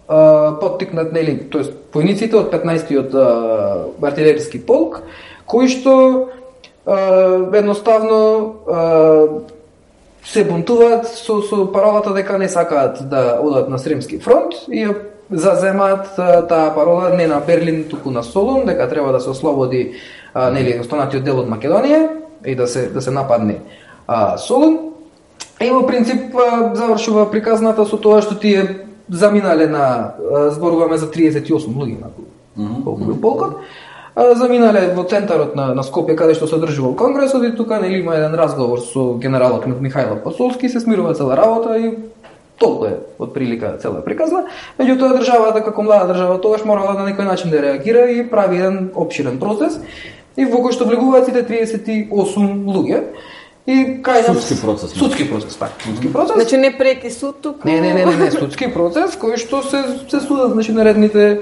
S1: а, поттикнат нели, тоест војниците од петнаесеттиот артилерски полк, кои што а, едноставно а, се бунтуваат со, со паролата дека не сакаат да одат на Сремски фронт и ја заземаат а, таа парола не на Берлин, туку на Солун, дека треба да се ослободи а, нели останатиот дел од Македонија и да се да се нападне а, Солун. И во принцип а, завршува приказната со тоа што тие заминале на а, зборуваме за триесет и осум луѓе на колку бил полкот. А, заминале во центарот на, на Скопје каде што се одржувал конгресот и тука нели има еден разговор со генералот Михајло Пасолски, се смирува цела работа и толку е од прилика цела приказна. Меѓутоа државата како млада држава тогаш морала на некој начин да реагира и прави еден опширен процес и во кој што влегуваат сите триесет и осум луѓе. И кај нас
S2: Судски процес.
S1: Судски процес, така. Судски процес.
S3: Значи не преки суд туку.
S1: Не, не, не, не, не, судски процес кој што се се судат, значи наредните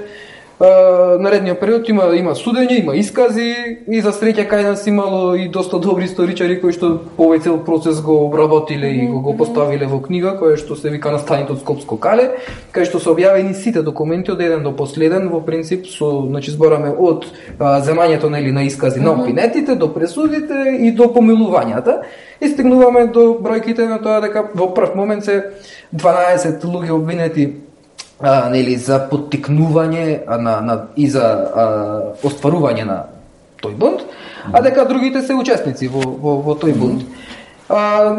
S1: наредниот период има има судење, има искази и за среќа кај нас имало и доста добри историчари кои што овој цел процес го обработиле и го, го поставиле во книга која што се вика Настаните од Скопско кале, кај што се објавени сите документи од еден до последен, во принцип со, значи збораме од а, земањето нели на искази на опинетите до пресудите и до помилувањата. И стигнуваме до бројките на тоа дека во прв момент се дванаесет луѓе обвинети а, нели за поттикнување на, на и за а, остварување на тој бунт, а дека другите се учесници во во, во тој бунт. А,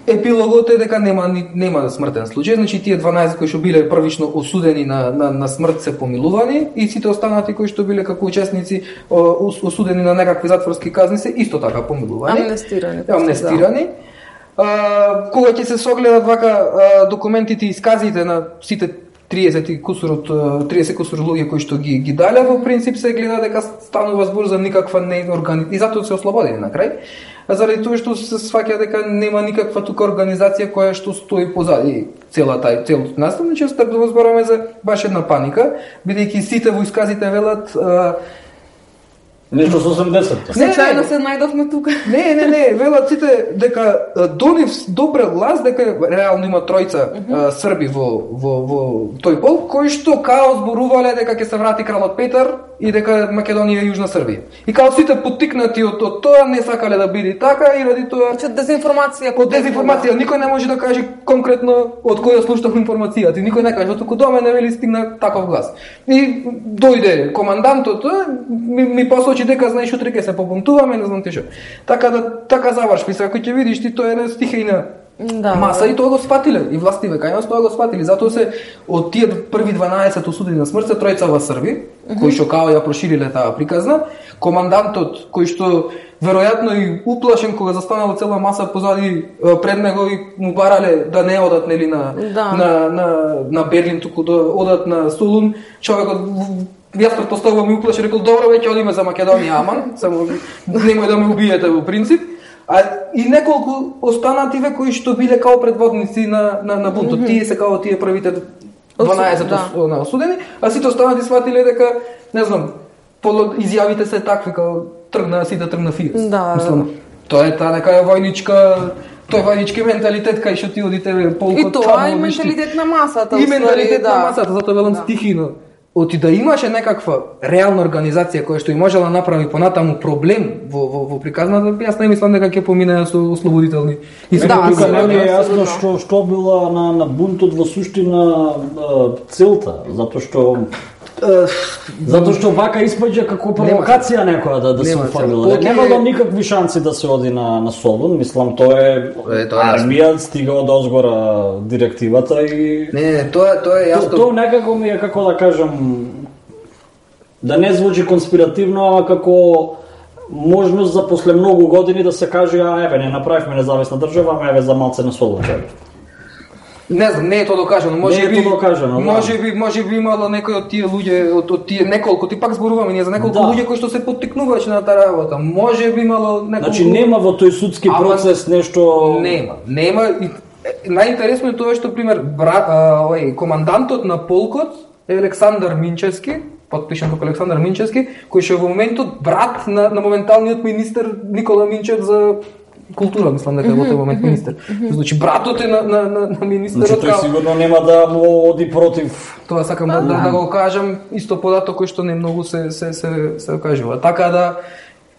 S1: епилогот е дека нема нема смртен случај, значи тие дванаесет кои што биле првично осудени на на на смрт се помилувани и сите останати кои што биле како учесници осудени на некакви затворски казни се исто така помилувани.
S3: Амнестирани.
S1: Амнестирани. А, кога ќе се согледат вака а, документите и исказите на сите триесет кусурот триесет кусур луѓе кои што ги ги дале, во принцип се гледа дека станува збор за никаква не органи... и затоа се ослободени на крај. Заради тоа што се сваќа дека нема никаква тука организација која што стои позади целата целото настан, значи стапно збораме за баш една паника, бидејќи сите во исказите велат а...
S2: нешто со осемдесетте.
S3: Случајно се најдовме тука.
S1: Не, не, не, велат сите дека донив добре глас дека реално има тројца uh -huh. срби во во во тој полк кои што као зборувале дека ќе се врати кралот Петар и дека Македонија е Јужна Србија. И као сите поттикнати од, од тоа не сакале да биде така и ради тоа
S3: Значи дезинформација,
S1: од дезинформација никој не може да каже конкретно од која слушнав информацијата. Никој не каже, туку до мене вели стигна таков глас. И дојде командантот, ми, ми посочи дека знаеш утре ќе се побунтуваме, не знам ти што. Така да така заврши, сега кој ќе видиш ти тоа е една стихијна
S3: да,
S1: маса и тоа го сфатиле и властиве кај нас тоа го сфатили, затоа се од тие први дванаесет осудени на смрт се тројца во Срби, mm -hmm. кои што као ја прошириле таа приказна, командантот кој што веројатно и уплашен кога застанала цела маса позади пред него и му барале да не одат нели на
S3: да.
S1: на на на Берлин, туку да одат на Солун, човекот јас претпоставувам и уплашен рекол добро веќе одиме за Македонија, аман, само немој да ме убиете во принцип. А и неколку останативе кои што биле као предводници на на на бунтот, mm -hmm. тие се као тие првите дванаесет да. на осудени, а сите останати сватиле дека не знам, изјавите се такви као тргна сите тргна фиес.
S3: Да.
S1: Мислам, тоа е таа нека е војничка, тој војнички менталитет кај што ти одите полкот.
S3: И тоа е менталитет на масата,
S1: и менталитет
S3: да.
S1: на масата, затоа велам да. стихино. Оти да имаше некаква реална организација која што и можела да направи понатаму проблем во во во приказната, јас не мислам дека ќе помине со ослободителни.
S2: И да, тука не е јасно што што била на на бунтот во суштина целта, затоа што затоа што вака испаѓа како провокација некоја да да се оформила. Немало никакви шанси да се оди на на Солун, мислам тоа е, е тоа армија стига од озгора директивата и
S1: не, не, тоа тоа е јасно.
S2: Тоа некако ми е како да кажам да не звучи конспиративно, ама како можност за после многу години да се каже а еве не направивме независна држава, ама еве за малце на Солун.
S1: Не знам, не е тоа докажано, може
S2: не
S1: би,
S2: е тоа докажано,
S1: може би, може би имало некој од тие луѓе, од, од тие неколку, ти пак зборуваме ние за неколку да. луѓе кои што се поттикнувачи на таа работа. Може би имало неколку.
S2: Значи нема во тој судски процес Ама, нешто
S1: нема, нема и најинтересно е тоа што пример брат, овој командантот на полкот е Александар Минчевски, подпишан како Александар Минчевски, кој што во моментот брат на на моменталниот министер Никола Минчев за култура, мислам дека во тој момент министер. Значи братот е на на на, на министерот.
S2: Значи тој сигурно нема да му оди против.
S1: Тоа сакам да, да, да го кажам, исто податок кој што не многу се се се се кажува. Така да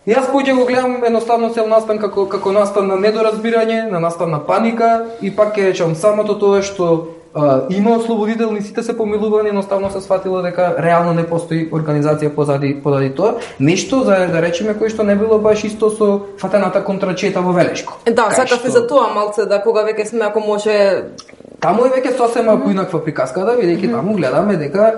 S1: јас поќе го гледам едноставно цел настан како како настан на недоразбирање, на настан на паника и пак ќе речам самото тоа што Uh, има ослободителни, сите се помилувани, едноставно се сфатило дека реално не постои организација позади позади тоа. Нешто за да речеме кој што не било баш исто со фатената контрачета во Велешко.
S3: Да, сакав и за тоа малце да кога веќе сме ако може
S1: таму е веќе сосема mm -hmm. поинаква приказка да бидејќи mm -hmm. таму гледаме дека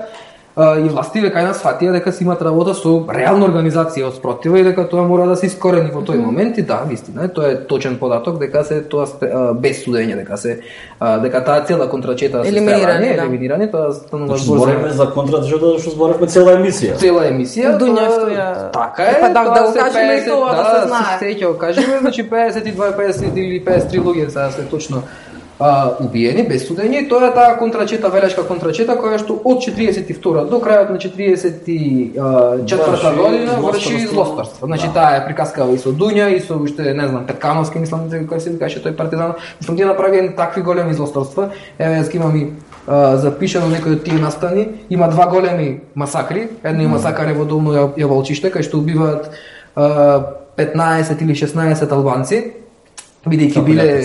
S1: Uh, и властиве кај нас фатија дека си имат работа со реална организација од спротива и дека тоа мора да се искорени во тој момент и да, вистина, тоа е точен податок дека се тоа uh, без судење, дека се uh, дека таа цела контрачета се
S3: елиминирани, да.
S1: елиминирани, тоа станува
S2: збор зборуваме за контрачета што зборуваме цела емисија.
S1: Цела емисија.
S3: Дуњавто ја.
S1: Така е.
S3: Па да, да го кажеме и тоа да, да се знае.
S1: Се ќе го кажеме, значи пеесет и два, пеесет или пеесет и три луѓе, сега се точно а, убиени без судење. Тоа е таа контрачета, велешка контрачета која што од четиридесет и втора до крајот на четиридесет и четврта година врши злостарство. Значи да. Таа е приказкава и со Дуња и со уште не знам Петкановски, мислам кој се викаше тој партизан. Мислам тие направени такви големи злостарства. Еве јас имам и а, запишано некои од тие настани. Има два големи масакри. Едно е масакар во Долно Јаволчиште кај што убиваат а, петнаесет или шеснаесет албанци, бидејќи биле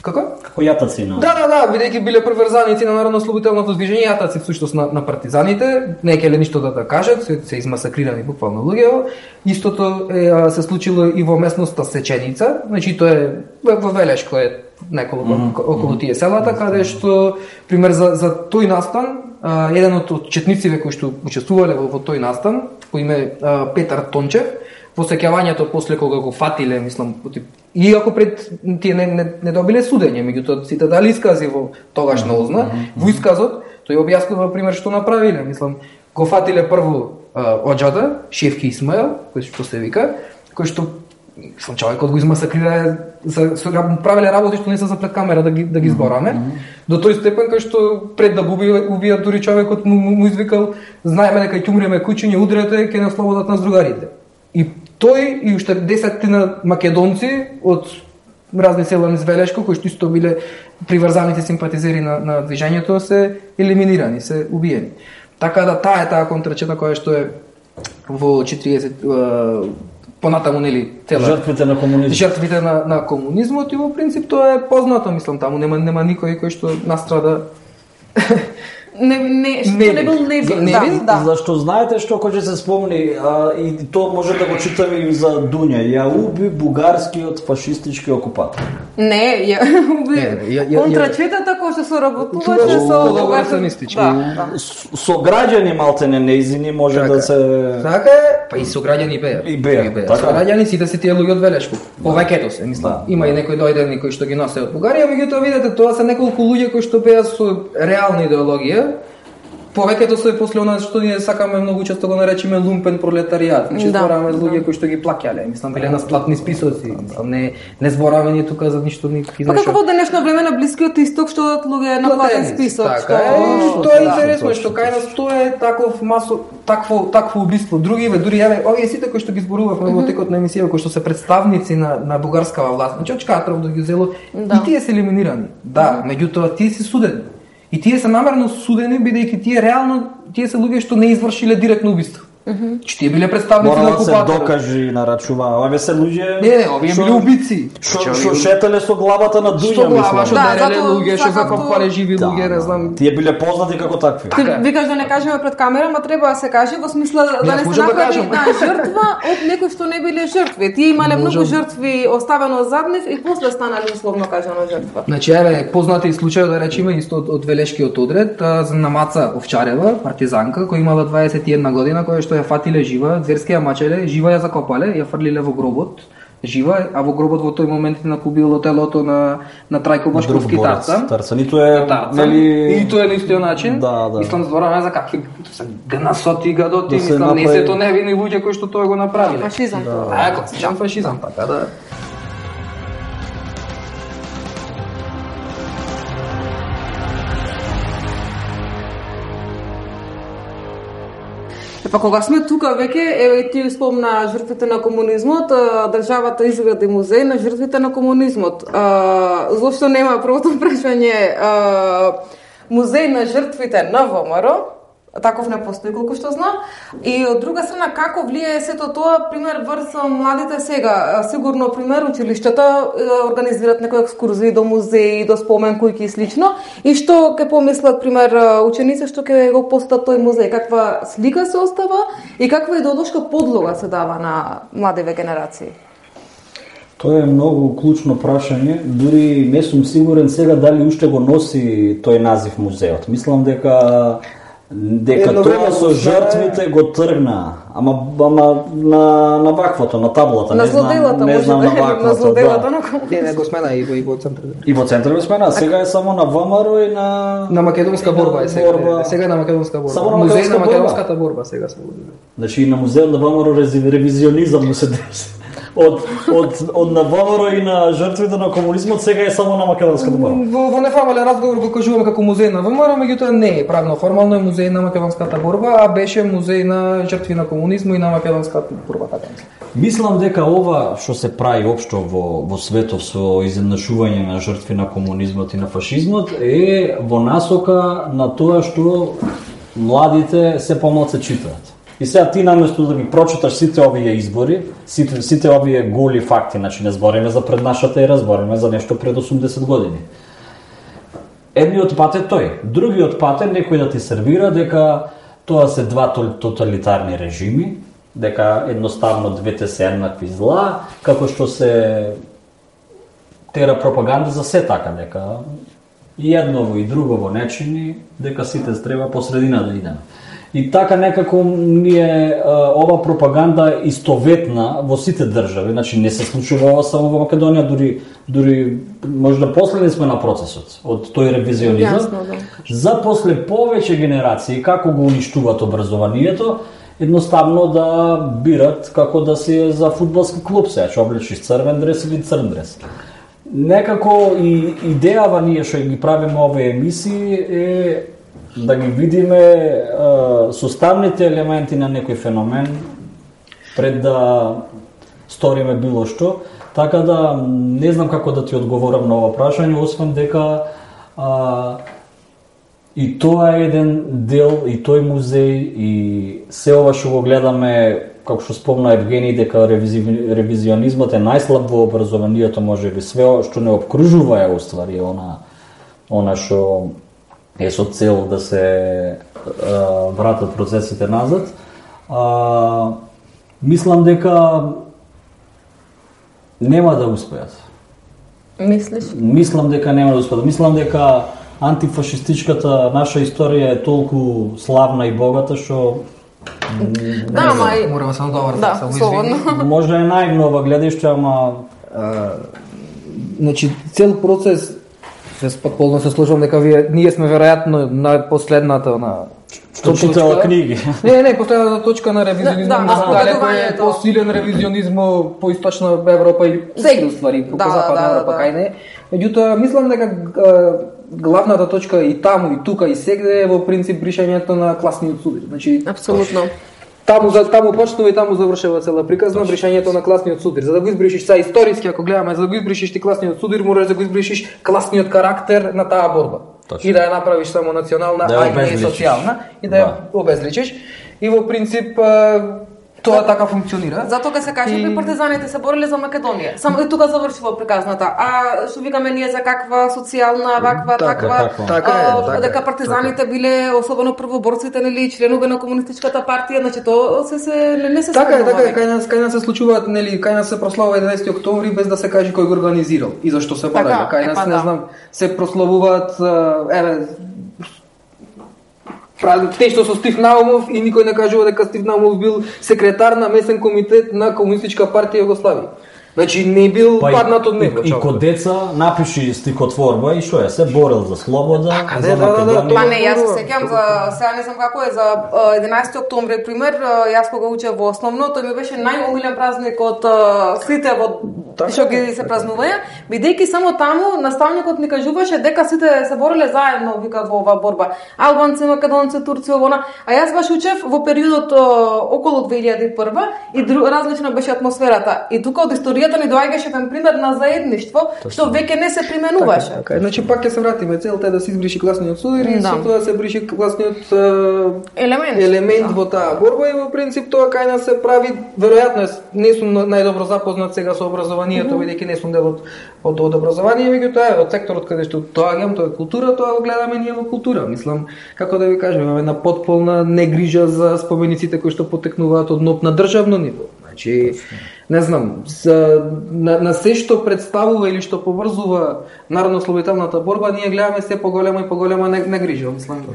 S1: Како?
S2: Како јатаци, но.
S1: Да, да, да, бидејќи биле приврзаници на народно-ослободителното движење, јатаци всушност на, на партизаните, не келе ништо да да кажат, се, се измасакрирани буквално луѓе. Истото е, се случило и во местноста Сеченица, значи тоа е во Велешко е неколку mm -hmm. околу тие селата, каде што пример за за тој настан, а, еден од четниците кои што учествувале во, во тој настан, по име а, Петар Тончев, во сеќавањето после кога го фатиле, мислам, иако пред тие не, не, не добиле судење, меѓутоа сите дали искази во тогашна озна, mm -hmm. во исказот тој објаснува пример што направиле, мислам, го фатиле прво а, оџада, Шефки Исмаел, кој што се вика, кој што мислам човекот го измасакрира за со правеле работи што не се за пред камера да ги да ги збораме. Mm -hmm. До тој степен кај што пред да го убијат дури човекот му, му, му извикал знаеме дека ќе умреме кучиња, удрете ќе не ослободат нас другарите. И тој и уште десетина македонци од разни села низ Велешко, кои што исто биле приврзаните симпатизери на, на движењето, се елиминирани, се убиени. Така да таа е таа контрачета која што е во четиридесет понатаму нели цела
S2: жртвите на комунизмот.
S1: Жртвите на, на комунизмот и во принцип тоа е познато, мислам, таму нема нема никој кој што настрада.
S3: Не, не, што не, не бил невин,
S1: не,
S3: да, да.
S2: Зашто знаете што кој ќе се спомни, а, и то може да го читаме и за Дуња, ја уби бугарскиот фашистички окупатор.
S3: Не, ја уби контрачетата која што соработуваше со
S1: колаборационистички.
S3: Да, да.
S2: Со граѓани малтене неизини може така, да се
S1: така е, па и со граѓани беа.
S2: И беа,
S1: беа.
S2: така.
S1: Со граѓани сите се тие луѓе од Велешко. Повеќето се, мислам. Да. Има и некои дојдени кои што ги носе од Бугарија, меѓутоа видете, тоа се неколку луѓе кои што беа со реална идеологија. Повеќето се после она што ние сакаме многу често го наречеме лумпен пролетаријат. Значи да, збораме за луѓе да. кои што ги плаќале, мислам биле на сплатни списоци. Мислам не не збораме ние тука за ништо никакви
S3: нешто. Па како во денешно време на Блискиот Исток што луѓе на платен список,
S1: така, што тоа е интересно што кај нас тоа е таков масо такво такво убиство. Другиве дури еве овие сите кои што ги зборувавме во текот на емисија, кои што се представници на на бугарскава власт, значи од Чкатров до Гюзело, да. И тие се елиминирани. Да, меѓутоа тие се судени. И тие се намерно судени бидејќи тие реално тие се луѓе што не извршиле директно убиство. Mm-hmm. Че тие биле представници на окупаторот.
S2: Мора да се докажи на рачува. Овие се луѓе.
S1: Не, не, овие биле убици.
S2: Што што шетеле со главата на Дуња,
S1: мислам. Глава, што дереле луѓе, што закопале живи луѓе, не знам.
S2: Тие биле познати како такви.
S3: Ти викаш да не кажеме пред камера, ма треба да се каже во смисла да не се направи една жртва од некои што не биле жртви. Тие имале многу жртви оставено зад нив и после станале условно кажано жртва.
S1: Значи еве познати случај да речеме исто од, од Велешкиот одред за Намаца Овчарева, партизанка која имала дваесет и една година, која што ја фатиле жива, зверски ја мачеле, жива ја закопале, ја фрлиле во гробот, жива, а во гробот во тој момент на побило телото на на Трајко Башковски Тарцан.
S2: Тарцан, и тоа е нели
S1: и тоа е на истиот начин.
S2: Да, да.
S1: Мислам збораме за какви гнасоти гадоти, мислам не се тоа невини луѓе кои што тоа го направиле.
S3: Фашизам тоа.
S1: А, класичен фашизам, така да.
S3: Па кога сме тука веќе, еве ти спомна жртвите на комунизмот, државата изгради музеј на жртвите на комунизмот. А, зошто нема првото прашање музеј на жртвите на ВМРО? Таков не постои колку што знам. И од друга страна како влијае сето тоа пример врз младите сега? Сигурно пример училиштата организираат некои екскурзии до музеи, до спомен куќи и слично. И што ќе помислат пример ученици што ќе го посетат тој музеј? Каква слика се остава и каква идеолошка подлога се дава на младиве генерации?
S2: Тоа е многу клучно прашање, дури не сум сигурен сега дали уште го носи тој назив музеот. Мислам дека дека Едно тоа со жртвите го тргна, ама ама на на ваквото, на таблата,
S3: на
S2: не знам, не знам на ваквото.
S3: На злоделата, да.
S1: Не, не го смена и во и во центар.
S2: И во центар го смена, сега е само на ВМРО и на
S1: на македонска борба е сега.
S2: Борба.
S1: Сега е на македонска борба.
S2: Само на
S1: музеј на
S2: македонската
S1: македонската борба сега се води.
S2: Значи и на музеот на ВМРО ревизионизам му се деси. од од од на ВМРО и на жртвите на комунизмот сега е само на македонската борба.
S1: Во, во неформален разговор го кажуваме како музеј на ВМРО, меѓутоа не е правно формално е музеј на македонската борба, а беше музеј на жртви на комунизмот и на македонската борба, така.
S2: Мислам дека ова што се прави општо во во светот со изеднашување на жртви на комунизмот и на фашизмот е во насока на тоа што младите се помалку читаат. И сега ти наместо да ги прочиташ сите овие избори, сите, сите овие голи факти, значи не збориме за пред нашата ера, збориме за нешто пред осумдесет години. Едниот пат е тој, другиот пат е некој да ти сервира дека тоа се два тоталитарни режими, дека едноставно двете се еднакви зла, како што се тера пропаганда за се така, дека и едново и другово не чини, дека сите треба по средина да идеме. И така некако ние ова пропаганда истоветна во сите држави, значи не се случува ова само во Македонија, дури дури можда последни сме на процесот од тој ревизионизам.
S3: Јасно, да.
S2: За после повеќе генерации како го уништуваат образованието, едноставно да бират како да си за фудбалски клуб, сега ќе облечиш црвен дрес или црн дрес. Некако и идејава ние што ги правиме овие емисии е да ги видиме е, составните елементи на некој феномен пред да сториме било што, така да не знам како да ти одговорам на ова прашање, освен дека а, и тоа е еден дел, и тој музеј, и се ова што го гледаме, како што спомна Евгений, дека ревизи, ревизионизмот е најслаб во образованието, може би све што не обкружува е уствари она она што е со цел да се а, вратат процесите назад. А, мислам дека нема да успеат.
S3: Мислиш?
S2: Мислам дека нема да успеат. Мислам дека антифашистичката наша историја е толку славна и богата што
S3: да, ама и
S1: мораме само да
S3: да, слободно.
S2: Може е најнова гледиште, ама
S1: а, значи цел процес се потполно се слушам дека вие ние сме веројатно на последната на
S2: што читала книги.
S1: Не, не, последната точка на ревизионизмот,
S3: да, да,
S1: далеко е посилен ревизионизмо по источна Европа и секи уствари по
S3: да,
S1: западна
S3: да,
S1: Европа
S3: да.
S1: кај не. Меѓутоа мислам дека главната точка и таму и тука и сегде е во принцип бришањето на класниот суд. Значи
S3: Апсолутно.
S1: Таму за таму почнува и таму завршува цела приказна бришањето на класниот судир. За да го избришиш са историски, ако гледаме, за да го избришиш ти класниот судир, мораш да го избришиш класниот карактер на таа борба.
S2: Точно.
S1: И да ја направиш само национална,
S2: да
S1: а и не социјална, и да ја
S2: да.
S1: обезличиш. И во принцип тоа така функционира.
S3: Затоа кога се каже и... партизаните се бореле за Македонија. Само и тука завршува приказната. А што викаме ние за каква социјална, ваква,
S1: така,
S3: таква,
S2: така,
S1: така е, така
S3: дека
S1: е,
S3: партизаните
S1: така.
S3: биле особено првоборците, нели, членови на комунистичката партија, значи тоа се се не, не се
S1: Така е,
S3: спомнува.
S1: така е, кај нас кај нас се случуваат, нели, кај нас се прославува единаесети октомври без да се каже кој го организирал и зашто се бореле.
S3: Така,
S1: Кај нас
S3: епа,
S1: не
S3: да.
S1: знам, се прославуваат еве Те што со Стив Наумов и никој не кажува дека Стив Наумов бил секретар на месен комитет на Комунистичка партија Југославија. Значи не бил
S2: па
S1: паднат од него.
S2: И, и код деца напиши стихотворба и што е, се борел за слобода,
S1: Така,
S2: за
S1: да, да, да,
S2: Македонија.
S3: Па не, јас се сеќам за сега не знам како е за единаесети октомври пример, јас кога учев во основно, тој ми беше најомилен празник од сите во што ги се празнуваја, бидејќи само таму наставникот ни кажуваше дека сите се бореле заедно, вика, во оваа борба. Албанци, македонци, турци, овона, а јас баш учев во периодот околу две илјади и прва и дру, различна беше атмосферата. И тука од историјата ни доаѓаше еден пример на заедништво, што веќе не се применуваше.
S1: Така, така. Значи пак ќе се вратиме, целта е да се избриши класниот судир и
S3: Да.
S1: со тоа се бриши класниот е,
S3: Елемент.
S1: елемент
S3: Да.
S1: во таа борба и во принцип тоа кај нас се прави, веројатно е, не сум најдобро запознат сега со образованието, mm -hmm. бидејќи не сум дел од од, од образование, меѓутоа е од секторот каде што доаѓам, тоа е култура, тоа го гледаме ние во култура. Мислам, како да ви кажем, имаме една потполна негрижа за спомениците кои што потекнуваат од ноп на државно ниво. Значи, не знам, за, на, на се што представува или што поврзува народно-ослободителната борба, ние гледаме се поголема и поголема негрижа, мислам.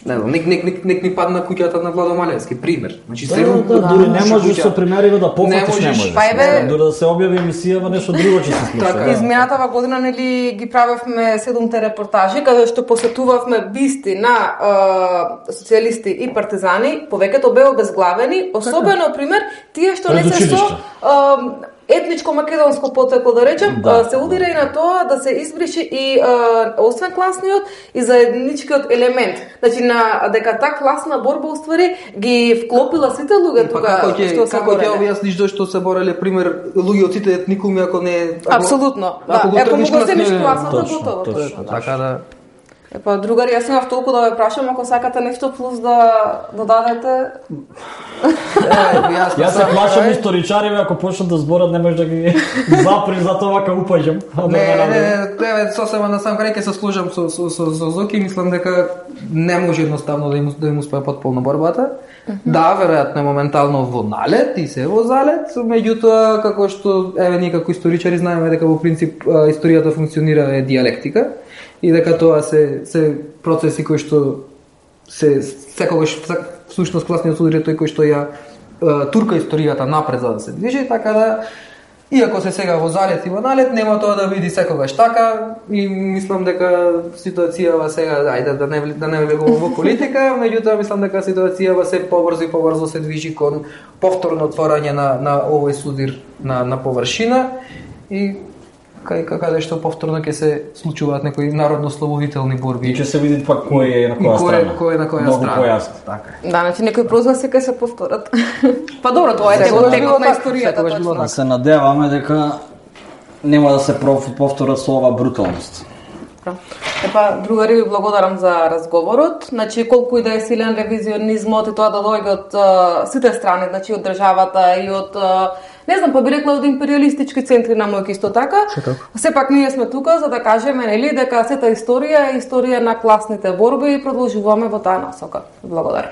S1: Не знам, нек, нек, нек, нек ни падна куќата на Владо Малевски, пример. Значи,
S2: Да,
S1: се
S2: да, да, дури не можеш со примериве да пофатиш, не можеш.
S3: Па еве-
S2: Дури да се објави емисија, нешто друго ќе се случи.
S1: Така.
S2: Да.
S3: Изминатава година нели ги правевме седумте репортажи каде што посетувавме бисти на е, социјалисти и партизани, повеќето беа обезглавени, особено пример тие што не
S2: Пред
S3: се со
S2: училиште.
S3: е, етничко македонско потекло да речем,
S2: Да,
S3: се удира и на тоа да се избрише и а, освен класниот и заедничкиот елемент. Значи на дека таа класна борба уствари ги вклопила сите луѓе
S1: Па
S3: тука
S1: како ќе
S3: што се
S1: како ќе
S3: бореле.
S1: објасниш зошто се бореле пример луѓе од сите етникуми ако не ако-
S3: Апсолутно. Да,
S1: ако го
S3: ако му
S1: тргнеш
S3: го земиш
S1: класниот-
S3: класната
S2: точно,
S3: готово.
S2: точно.
S3: точно.
S1: Така да
S3: Епа, другари, јас имав толку да ве прашам, ако сакате нешто плюс да додадете.
S1: Е, јас
S2: Јас се
S1: сам
S2: плашам
S1: крај.
S2: историчариве, ако почнат да зборат, не може да ги заприм за тоа ка упаѓам.
S1: Не, не, не, еве сосема на сам крај ќе се служам со со со, со Зоки, мислам дека не може едноставно да им да им успее потполно борбата. Да, веројатно е моментално во налет и се во залет, меѓутоа како што еве ние како историчари знаеме дека во принцип а, историјата функционира е дијалектика и дека тоа се се процеси кои што се секогаш всушност класниот удар е тој кој што ја а, турка историјата напред за да се движи, така да иако се сега во залет и во налет, нема тоа да биде секогаш така и мислам дека ситуацијава сега, ајде да не да не влегувам во политика, меѓутоа мислам дека ситуацијава се побрзо и побрзо се движи кон повторно отворање на на овој судир на на површина и кај каде што повторно ќе се случуваат некои народно-слободителни борби.
S2: И ќе се види пак кој е на
S1: И
S2: која
S1: кој е-
S2: страна.
S1: кој е на која
S2: Многу
S1: страна.
S2: појасно.
S1: Така.
S3: Да, значи некои прозваси ќе се повторат. Па добро, тоа е
S1: Секогаш
S3: текот
S1: било
S3: на
S1: така,
S3: историјата
S1: секогаш било
S3: точно.
S2: Да се надеваме дека нема да се проф- повторат со ова бруталност.
S3: Епа, другари, ви благодарам за разговорот. Значи, колку и да е силен ревизионизмот и тоа да дојде од а, сите страни, значи од државата и од, а, не знам, па би рекла од империалистички центри на мојки исто така. Сепак ние сме тука за да кажеме, нели, дека сета историја е историја на класните борби и продолжуваме во таа насока. Благодарам.